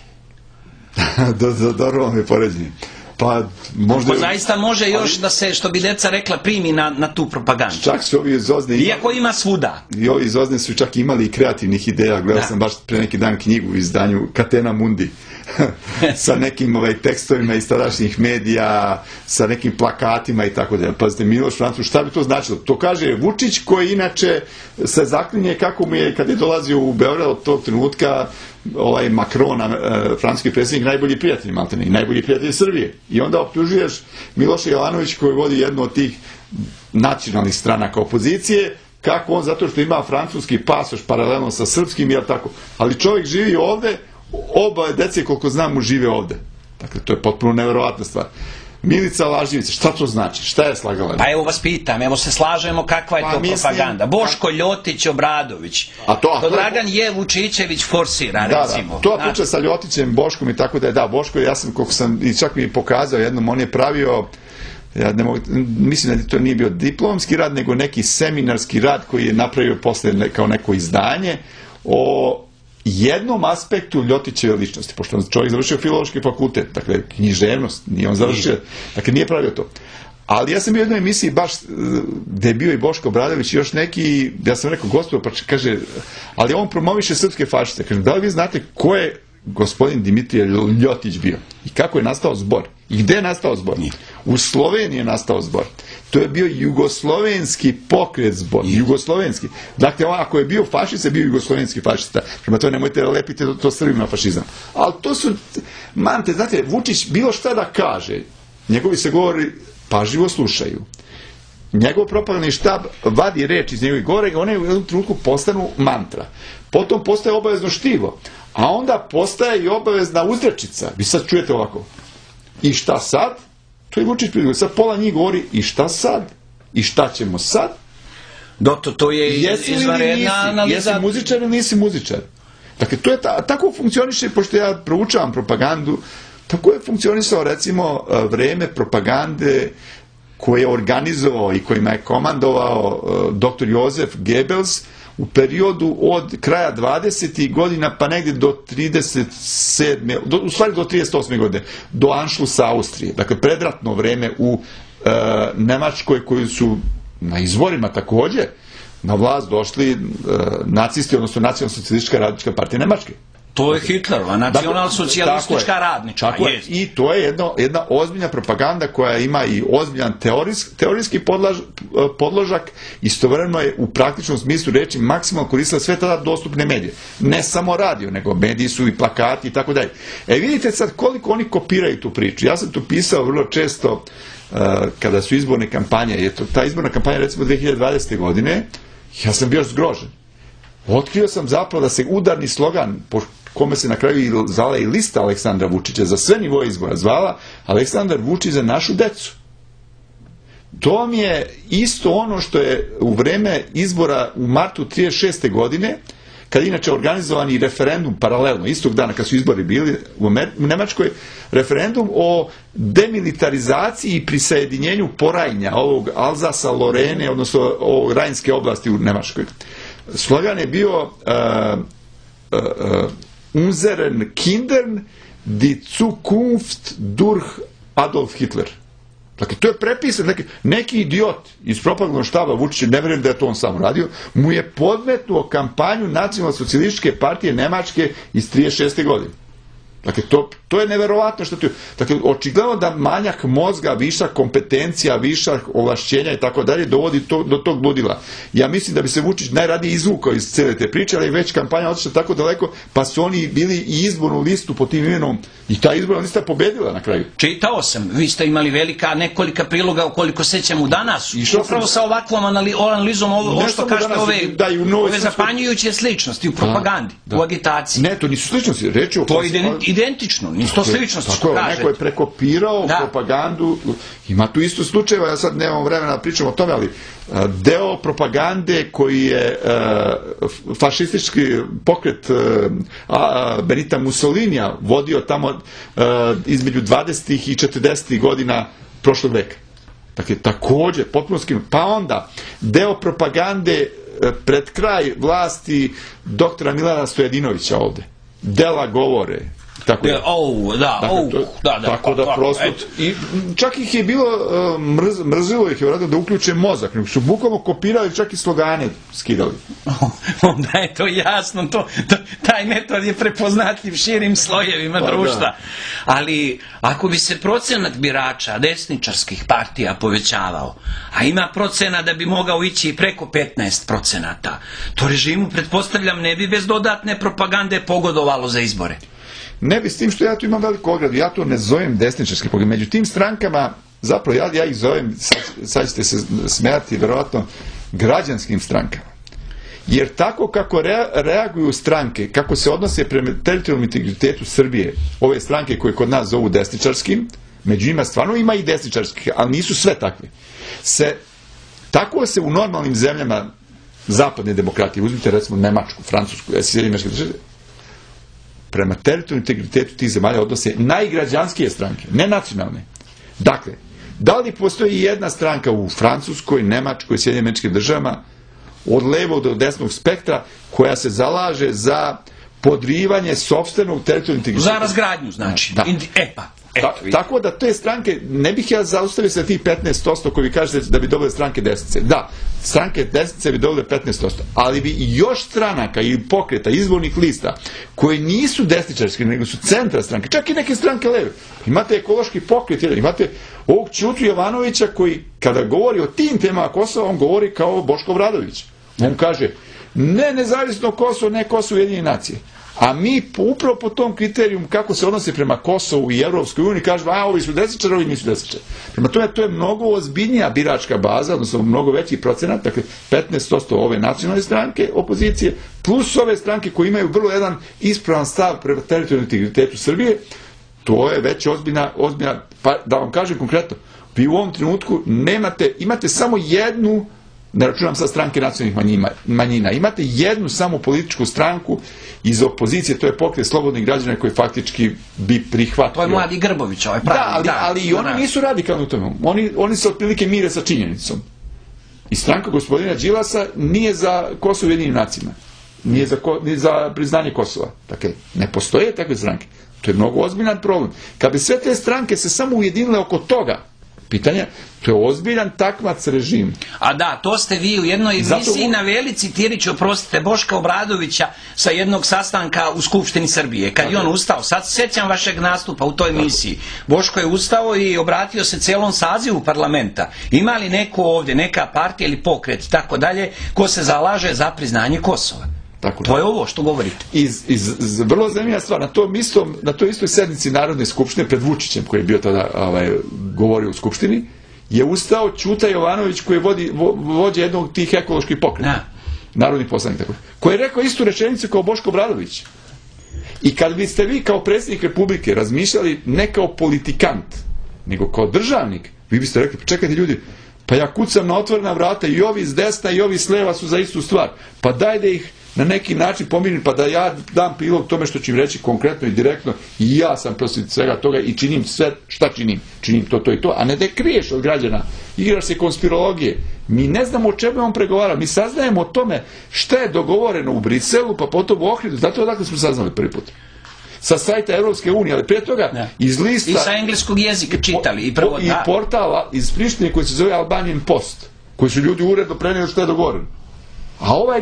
Dobro vam je poređenje. Pa možda... zaista može još da se, što bi deca rekla, primi na tu propagandu. Čak su ovi iz OZNE... Iako ima svuda. I ovi iz OZNE su čak imali i kreativnih ideja. Gledao sam baš pre neki dan knjigu u izdanju Catena Mundi. Sa nekim tekstovima iz tadašnjih medija, sa nekim plakatima i tako da. Pazite, Miloš Francuz, šta bi to značilo? To kaže Vučić, koji inače se zaklinje kako mu je, kad je dolazio u Beograd od tog trenutka, Macron, francuski predsjednik, najbolji prijatelj maltene, i najbolji prijatelj Srbije. I onda optužuješ Miloša Jovanovića, koji vodi jednu od tih nacionalnih stranaka opozicije, kako on, zato što ima francuski pasoš paralelno sa srpskim, jel tako? Ali čovjek živi ovde, oba dece, koliko znam, mu žive ovde. Dakle, to je potpuno neverovatna stvar. Milica Lažljevica, šta to znači? Šta je slagala? Pa evo vas pitam, evo se slažemo kakva je to propaganda. Boško Ljotić, Obradović. To Dragan Vučićević forsira, recimo. To priča sa Ljotićem, Boškom i tako da je, da, Boško, ja sam, koliko sam, i čak mi je pokazao jednom, on je pravio, ja ne mogu, mislim da to nije bio diplomski rad, nego neki seminarski rad koji je napravio posle kao neko izdanje o jednom aspektu Ljotićeve ličnosti, pošto on čovjek završio filološki fakultet, dakle književnost, nije on završio, dakle nije pravio to. Ali ja sam bio u jednoj emisiji baš gde je bio i Boško Obradović i još neki, ja sam rekao, gospodo, pa kaže, ali on promoviše srpske fašiste. Kaže, da li vi znate ko je gospodin Dimitrije Ljotić bio? I kako je nastao zbor? I gde je nastao zbor? U Sloveniji je nastao zbor. To je bio jugoslovenski pokret zbor. Jugoslovenski. Dakle, ako je bio fašista, bio jugoslovenski fašista. Prema to nemojte da lepite to Srbima fašizam. Ali to su, mante, znate, Vučić bilo šta da kaže, njegovi se govori pažljivo slušaju. Njegov propagandni štab vadi reč iz njegovih govora i one u jednom trenutku postanu mantra. Potom postaje obavezno štivo. A onda postaje i obavezna uzrečica. Vi sad čujete ovako. I šta sad? To je Vučić prigovor. Sad pola njih govori i šta sad? I šta ćemo sad? To je izvanredna analiza. Jesi muzičar ili nisi muzičar? Dakle, to je tako funkcioniše, pošto ja proučavam propagandu, tako je funkcionisao, recimo, vreme propagande koje je organizovao i kojima je komandovao dr. Josef Goebbels u periodu od kraja 20. godina pa negdje do 37. U stvari do 38. godine, do Anšlusa Austrije. Dakle, predratno vreme u Nemačkoj, koji su na izvorima također na vlast došli nacisti, odnosno Nacionalno-socijalistička radnička partija Nemačke. To je Hitlerova, nacionalno-socijalistička radnička. I to je jedna ozbiljna propaganda koja ima i ozbiljan teorijski podložak, istovremeno je u praktičnom smislu reči maksimalno koristila sve tada dostupne medije. Ne samo radio, nego mediji su i plakati i tako dalje. Vidite sad koliko oni kopiraju tu priču. Ja sam tu pisao vrlo često kada su izborne kampanje, ta izborna kampanja recimo 2020. godine, ja sam bio zgrožen. Otkrio sam zapravo da se udarni slogan, po kome se na kraju zvala i lista Aleksandra Vučića za sve nivoje izbora, zvala Aleksandar Vučić za našu decu. To mi je isto ono što je u vreme izbora u martu 1936. godine, kad inače organizovani referendum paralelno, istog dana kad su izbori bili u Nemačkoj, referendum o demilitarizaciji i prisajedinjenju Porajnja, ovog Alzasa, Lorene, odnosno ovog Rajnske oblasti u Nemačkoj. Slogan je bio Unseren Kindern die Zukunft durch Adolf Hitler. Dakle, to je prepisan, neki idiot iz propagandnog štaba Vučića, ne vjerujem da je to on sam radio, mu je podmetnuo kampanju Nacionalno-socijalističke partije Nemačke iz 1936. godine. Dakle, to je neverovatno što to je. Dakle, očigledno da manjak mozga, višak kompetencija, višak ovlašćenja i tako dalje dovodi do tog ludila. Ja mislim da bi se Vučić najradije izvukao iz cijele te priče, ali već kampanja otišla tako daleko, pa su oni bili i izbornu listu po tim imenom i ta izborna lista pobedila na kraju. Čitao sam, vi ste imali nekolika priloga ukoliko sećamo danas, upravo sa ovakvom analizom ovo što kažete ove zapanjujuće sličnosti u propagandi, u agitaciji. Ne, to nisu sličnosti, reći o... Identično, nisu to sličnosti što kažete. Neko je prekopirao propagandu, ima tu isto slučajeva, ja sad nemam vremena da pričam o tome, ali deo propagande koji je fašistički pokret Benita Mussolinija vodio tamo između 20. i 40. godina prošlog veka. Dakle, također, potpuno skinuo. Pa onda, deo propagande pred kraj vlasti doktora Milana Stojadinovića ovde. Dela govore. Tako da prosto i čak ih je bilo mrzilo ih je vratno da uključe mozak, nego su bukvalno kopirali, čak i slogane skidali. Onda je to jasno, taj metod je prepoznatljiv širim slojevima društva. Ali ako bi se procenat birača desničarskih partija povećavao, a ima procena da bi mogao ići i preko 15%, to režimu, pretpostavljam, ne bi bez dodatne propagande pogodovalo za izbore. Ne bi, s tim što ja tu imam veliku ogradu, ja to ne zovem desničarski pogled. Među tim strankama, zapravo ja ih zovem, sad ćete se smijati, verovatno, građanskim strankama. Jer tako kako reaguju stranke, kako se odnose prema teritorijalnom integritetu Srbije, ove stranke koje kod nas zovu desničarskim, među njima stvarno ima i desničarskih, ali nisu sve takve. Tako se u normalnim zemljama zapadne demokratije, uzmite recimo Nemačku, Francusku, Sjedinjene Države, prema teritorijalnom integritetu tih zemalja odnose najgrađanskije stranke, ne nacionalne. Dakle, da li postoji jedna stranka u Francuskoj, Nemačkoj, Sjedinjenim Američkim Državama, od levog do desnog spektra, koja se zalaže za podrivanje sopstvenog teritorijalnog integriteta? Za razgradnju, znači. Tako da te stranke, ne bih ja zaustavio sa tih 15% koji vi kažete da bi dobile stranke desnice. Da, stranke desnice bi dobile 15%, ali bi i još stranaka ili pokreta, izbornih lista, koji nisu desničarski, nego su centra stranke, čak i neke stranke leve. Imate ekološki pokret, imate ovog Ćutu Jovanovića koji, kada govori o tim temama Kosova, on govori kao Boško Obradović. On kaže, ne nezavisno Kosovo, ne Kosovo Ujedinjene nacije. A mi upravo po tom kriterijumu kako se odnose prema Kosovu i Evropskoj uniji kažemo, ovi su desničari, ovi nisu desničari. Prema tome, to je mnogo ozbiljnija biračka baza, odnosno mnogo veći procenat, dakle 15% ove nacionalne stranke opozicije, plus ove stranke koje imaju vrlo jedan ispravan stav prema teritorijalnom integritetu Srbije. To je već ozbiljna, pa da vam kažem konkretno, vi u ovom trenutku imate samo jednu, ne računam sad stranke nacionalnih manjina, imate jednu samo političku stranku iz opozicije, to je Pokret slobodnih građana koji faktički bi prihvatio. To je Mladi Grbović, ovaj pravi. Ali i oni nisu radikalni u tome. Oni se otprilike mire sa činjenicom. I stranka gospodina Đilasa nije za Kosovo i Ujedinjenim nacijama. Nije za priznanje Kosova. Dakle, ne postoje takve stranke. To je mnogo ozbiljan problem. Kad bi sve te stranke se samo ujedinile oko toga pitanja, to je ozbiljan takmac režim. A da, to ste vi u jednoj emisiji naveli, citirajući, oprostite, Boška Obradovića sa jednog sastanka u Skupštini Srbije. Kad je on ustao, sad se sjećam vašeg nastupa u toj emisiji. Boško je ustao i obratio se celom sazivu parlamenta. Ima li neko ovdje, neka partija ili pokret, tako dalje, ko se zalaže za priznanje Kosova? Tako, to je ovo što govorite. Vrlo zanimljiva stvar, na toj istoj sednici Narodne skupštine pred Vučićem, koji je bio tada govorio u skupštini, je ustao Ćuta Jovanović, koji je vođa jednog od tih ekoloških pokreta. Narodni poslanik, tako, koji je rekao istu rečenicu kao Boško Obradović. I kad biste vi kao predsjednik Republike razmišljali ne kao politikant, nego kao državnik, vi biste rekli, čekajte ljudi, pa ja kucam na otvorena vrata i ovi s desna i ovi s leva su za istu stvar. Pa daj da ih na neki način pomirim, pa da ja dam prilog tome što ću im reći konkretno i direktno, i ja sam protiv svega toga i činim sve šta činim. Činim to i to, a ne da je kriješ od građana. Igraš se konspirologije. Mi ne znamo o čemu on pregovara. Mi saznajemo o tome šta je dogovoreno u Briselu, pa potom u Ohridu. Zato odakle smo saznali prvi put. Sa sajta Evropske unije, ali prije toga iz lista... I sa engleskog jezika čitali. I portala iz Prištine koji se zove Albanian Post, koji su ljudi uredno prenijeli što je dogovoreno. A ovaj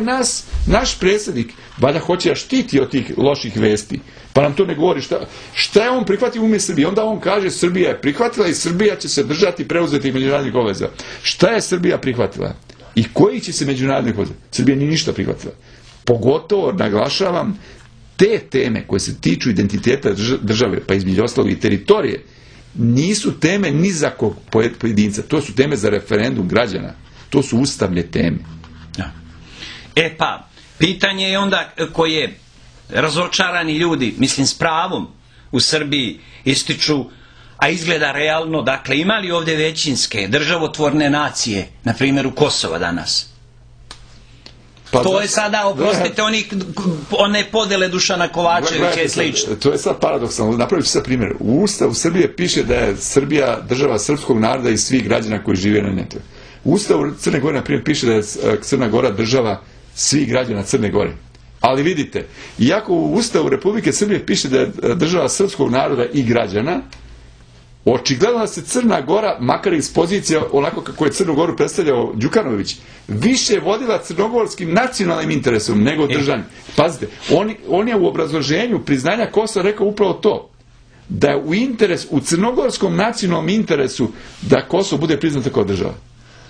naš predsjednik valjda hoće da štiti od tih loših vesti, pa nam to ne govori šta je on prihvatio umjesto Srbije. Onda on kaže Srbija je prihvatila i Srbija će se držati preuzetih međunarodnih obaveza. Šta je Srbija prihvatila? I koji će se međunarodnih obaveza? Srbija nije ništa prihvatila. Pogotovo, naglašavam, te teme koje se tiču identiteta države, pa između ostalog i teritorije, nisu teme ni za kog pojedinca. To su teme za referendum građana. To su ustavne teme. E pa, pitanje je onda koje razočarani ljudi, mislim s pravom, u Srbiji ističu, a izgleda realno, dakle, ima li ovdje većinske državotvorne nacije, na primjeru Kosova danas? To je sada, oprostite, one podele Dušana Kovačevića i slično. To je sad paradoksalno. Napravit ću sad primjer. U Ustavu Srbije piše da je Srbija država srpskog naroda i svih građana koji žive na netu. U Ustavu Crne Gore, na primjer, piše da je Crna Gora država svih građana Crne Gore. Ali vidite, iako u Ustavu Republike Srbije piše da je država srpskog naroda i građana, očigledno da se Crna Gora, makar iz pozicije onako kako je Crnu Goru predstavljao Đukanović, više vodila crnogorskim nacionalnim interesom nego državnim. Pazite, on je u obrazloženju priznanja Kosova rekao upravo to, da je u crnogorskom nacionalnom interesu da Kosovo bude priznato kao država.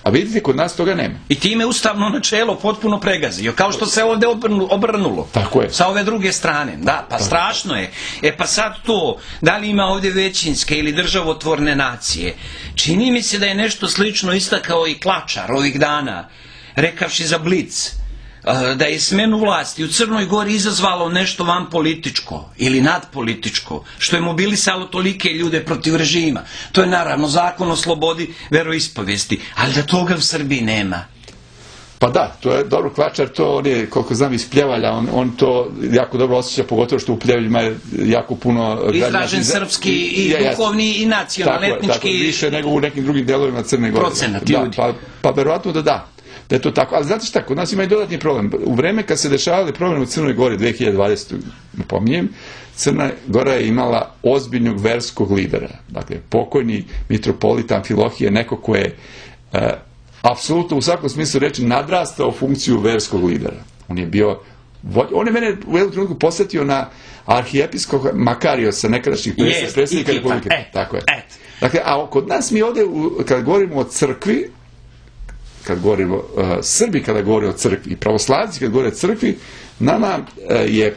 A vidite, kod nas toga nema. I time ustavno načelo potpuno pregazio, kao što se ovdje obrnulo. Tako je. Sa ove druge strane. Da, pa strašno je. E pa sad to, da li ima ovdje većinske ili državotvorne nacije? Čini mi se da je nešto slično istakao i Klačar ovih dana, rekavši za Blic, da je smenu vlasti u Crnoj Gori izazvalo nešto van političko ili nadpolitičko, što je mobilisalo tolike ljude protiv režima. To je naravno zakon o slobodi veroispovijesti, ali da toga u Srbiji nema. Pa da, to je dobro. Klačar, to on je, koliko znam, iz Pljevalja, on to jako dobro osjeća, pogotovo što u Pljevaljima je jako puno građana. Izražen srpski i duhovni i nacionalni, etnički. Tako, više nego u nekim drugim delovima Crne Gore. Procenat ljudi. Pa verovatno da je to tako. Ali znate šta, kod nas ima i dodatni problem. U vreme kad se dešavali problemi u Crnoj Gori 2020. napominjem, Crna Gora je imala ozbiljnog verskog lidera. Dakle, pokojni mitropolit Amfilohije, neko ko je apsolutno u svakom smislu reči nadrastao funkciju verskog lidera. On je mene u jednom trenutku posjetio na arhijepiskog Makariosa, nekadašnjih predsjednika Republike. Tako je. Dakle, a kod nas mi ovdje, kad govorimo o crkvi, kad govorimo Srbi, kada govore o crkvi i pravoslavci kad govore o crkvi, nama je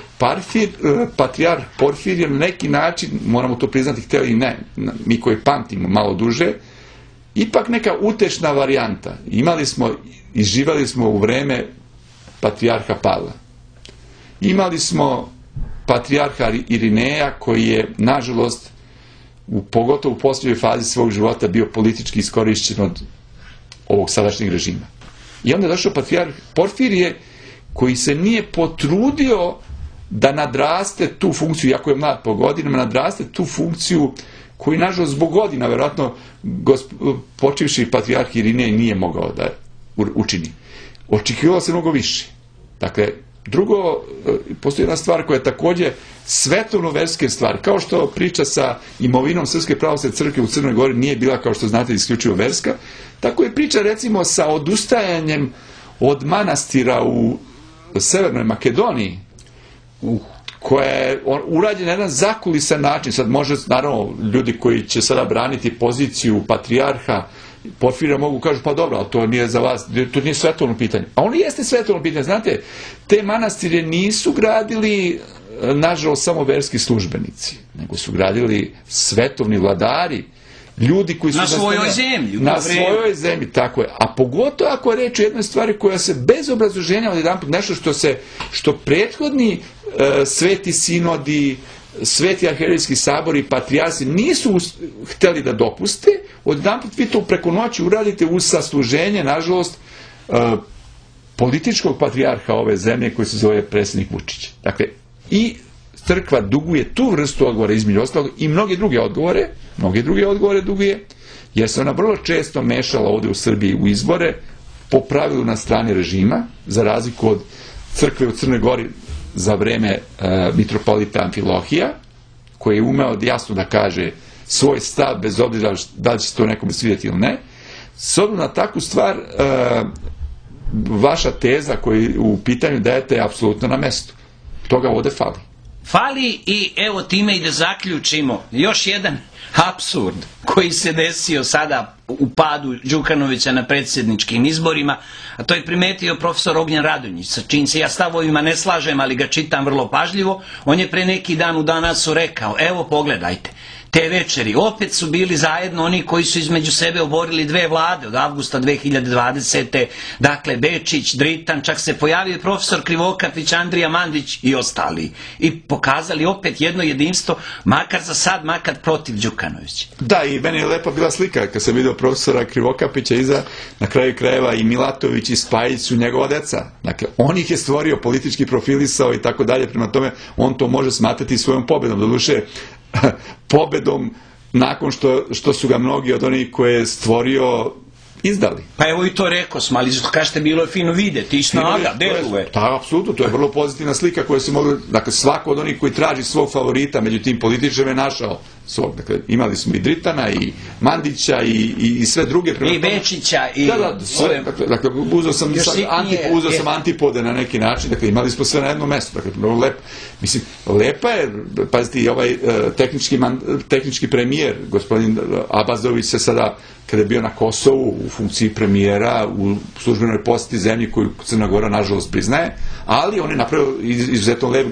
patrijarh Porfirije na neki način, moramo to priznati, htjeli i ne, mi koji pamtimo malo duže, ipak neka utešna varijanta. Imali smo i živali smo u vreme patrijarha Pavla. Imali smo patrijarha Irineja koji je, nažalost, pogotovo u posljednjoj fazi svog života bio politički iskorišćen od ovog sadašnjeg režima. I onda je došao patrijarh Porfirije koji se nije potrudio da nadraste tu funkciju, iako je mlad po godinama, nadraste tu funkciju koju, nažalost, zbog godina, vjerojatno, počivši patrijarh Irinej nije mogao da učini. Očekivalo se mnogo više. Dakle, drugo, postoji jedna stvar koja je također svetovno-verske stvari. Kao što priča sa imovinom Srpske pravoslavne crkve u Crnoj Gori nije bila, kao što znate, isključivo verska, tako je priča, recimo, sa odustajanjem od manastira u Severnoj Makedoniji, koja je urađena na jedan zakulisan način. Sad može, naravno, ljudi koji će sada braniti poziciju patrijarha Porfirija mogu kažu, pa dobro, ali to nije za vas, to nije svetovno pitanje. A ono jeste svetovno pitanje. Znate, te manastire nisu gradili, nažalost, samo verski službenici, nego su gradili svetovni vladari, ljudi koji su na svojoj zemlji. Na svojoj zemlji, tako je. A pogotovo ako je reč o jednoj stvari koja se bez obrazloženja odjedanput nešto što prethodni sveti sinodi, sveti arhijerejski sabori i patrijarsi nisu hteli da dopuste, odjedanput vi to preko noći uradite uz sasluženje, nažalost, političkog patrijarha ove zemlje koji se zove predsjednik Vučić. Dakle, i crkva duguje tu vrstu odgovora između ostalog i mnoge druge odgovore duguje, jer se ona vrlo često mešala ovdje u Srbiji u izbore, po pravilu na strani režima, za razliku od crkve u Crnoj Gori za vreme mitropolita Amfilohija, koji je umeo jasno da kaže svoj stav, bez obzira da li će se to nekome svidjeti ili ne. S obzirom na takvu stvar, vaša teza koju u pitanju dajete je apsolutno na mestu. Toga ovdje fali. Fali i evo time i da zaključimo još jedan apsurd koji se desio sada u padu Đukanovića na predsjedničkim izborima, a to je primetio profesor Ognjen Radonjić, sa čim se ja stavovima ne slažem, ali ga čitam vrlo pažljivo. On je pre neki dan u Danasu rekao, evo pogledajte, te večeri opet su bili zajedno oni koji su između sebe oborili dve vlade od avgusta 2020. Dakle, Bečić, Dritan, čak se pojavio profesor Krivokapić, Andrija Mandić i ostali. I pokazali opet jedno jedinstvo, makar za sad, makar protiv Đukanovića. Da, i meni je lepa bila slika kad sam vidio profesora Krivokapića iza, na kraju krajeva i Milatović i Spajić su njegova deca. Dakle, on ih je stvorio, politički profilisao i tako dalje, prema tome on to može smatrati svojom pobedom. Doduše, pobedom nakon što su ga mnogi od onih koje je stvorio izdali. Pa evo i to rekao smo, ali kažete bilo je fino vidjeti i snaga, deluje. Da, apsolutno, to je vrlo pozitivna slika koja se mogla, dakle svako od onih koji traži svog favorita među tim političarima je našao svog. Dakle, imali smo i Dritana i Mandića i sve druge. I Bečića i... Da, sve, dakle, uzeo sam antipode na neki način, dakle, imali smo sve na jednom mjestu, dakle, vrlo lepo. Mislim, lepa je, pazite, i ovaj tehnički premijer, gospodin Abazović se sada, kada je bio na Kosovu u funkciji premijera u službenoj posjeti zemlji koju Crna Gora nažalost priznaje, ali on je napravio izuzetno lep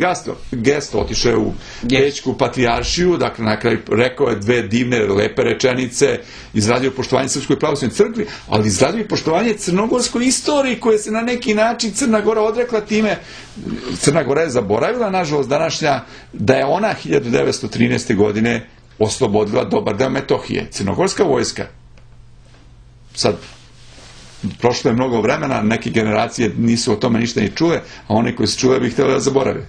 gesto, otišao je u Bečku patrijaršiju, dakle na kraju rekao je dve divne, lepe rečenice, izradio poštovanje Srpskoj pravoslavnoj crkvi, ali izradio i poštovanje crnogorskoj istoriji koje se na neki način Crna Gora odrekla time. Crna Gora je zaboravila, nažalost, današnja, da je ona 1913. godine oslobodila dobar deo Metohije. Crnogorska vojska. Sad, prošlo je mnogo vremena, neke generacije nisu o tome ništa ni čule, a one koji su čule bi htjeli da zaborave.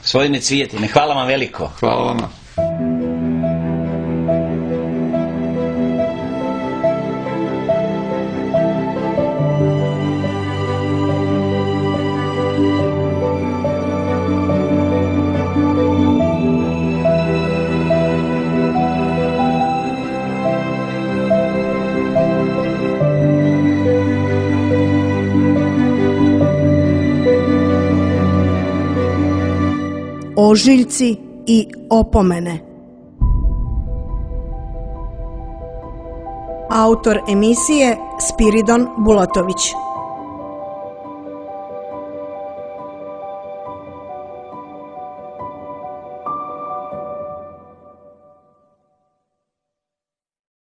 Gospodine Cvijetine, hvala vam veliko. Hvala vama. Ožiljci i opomene. Autor emisije Spiridon Bulatović.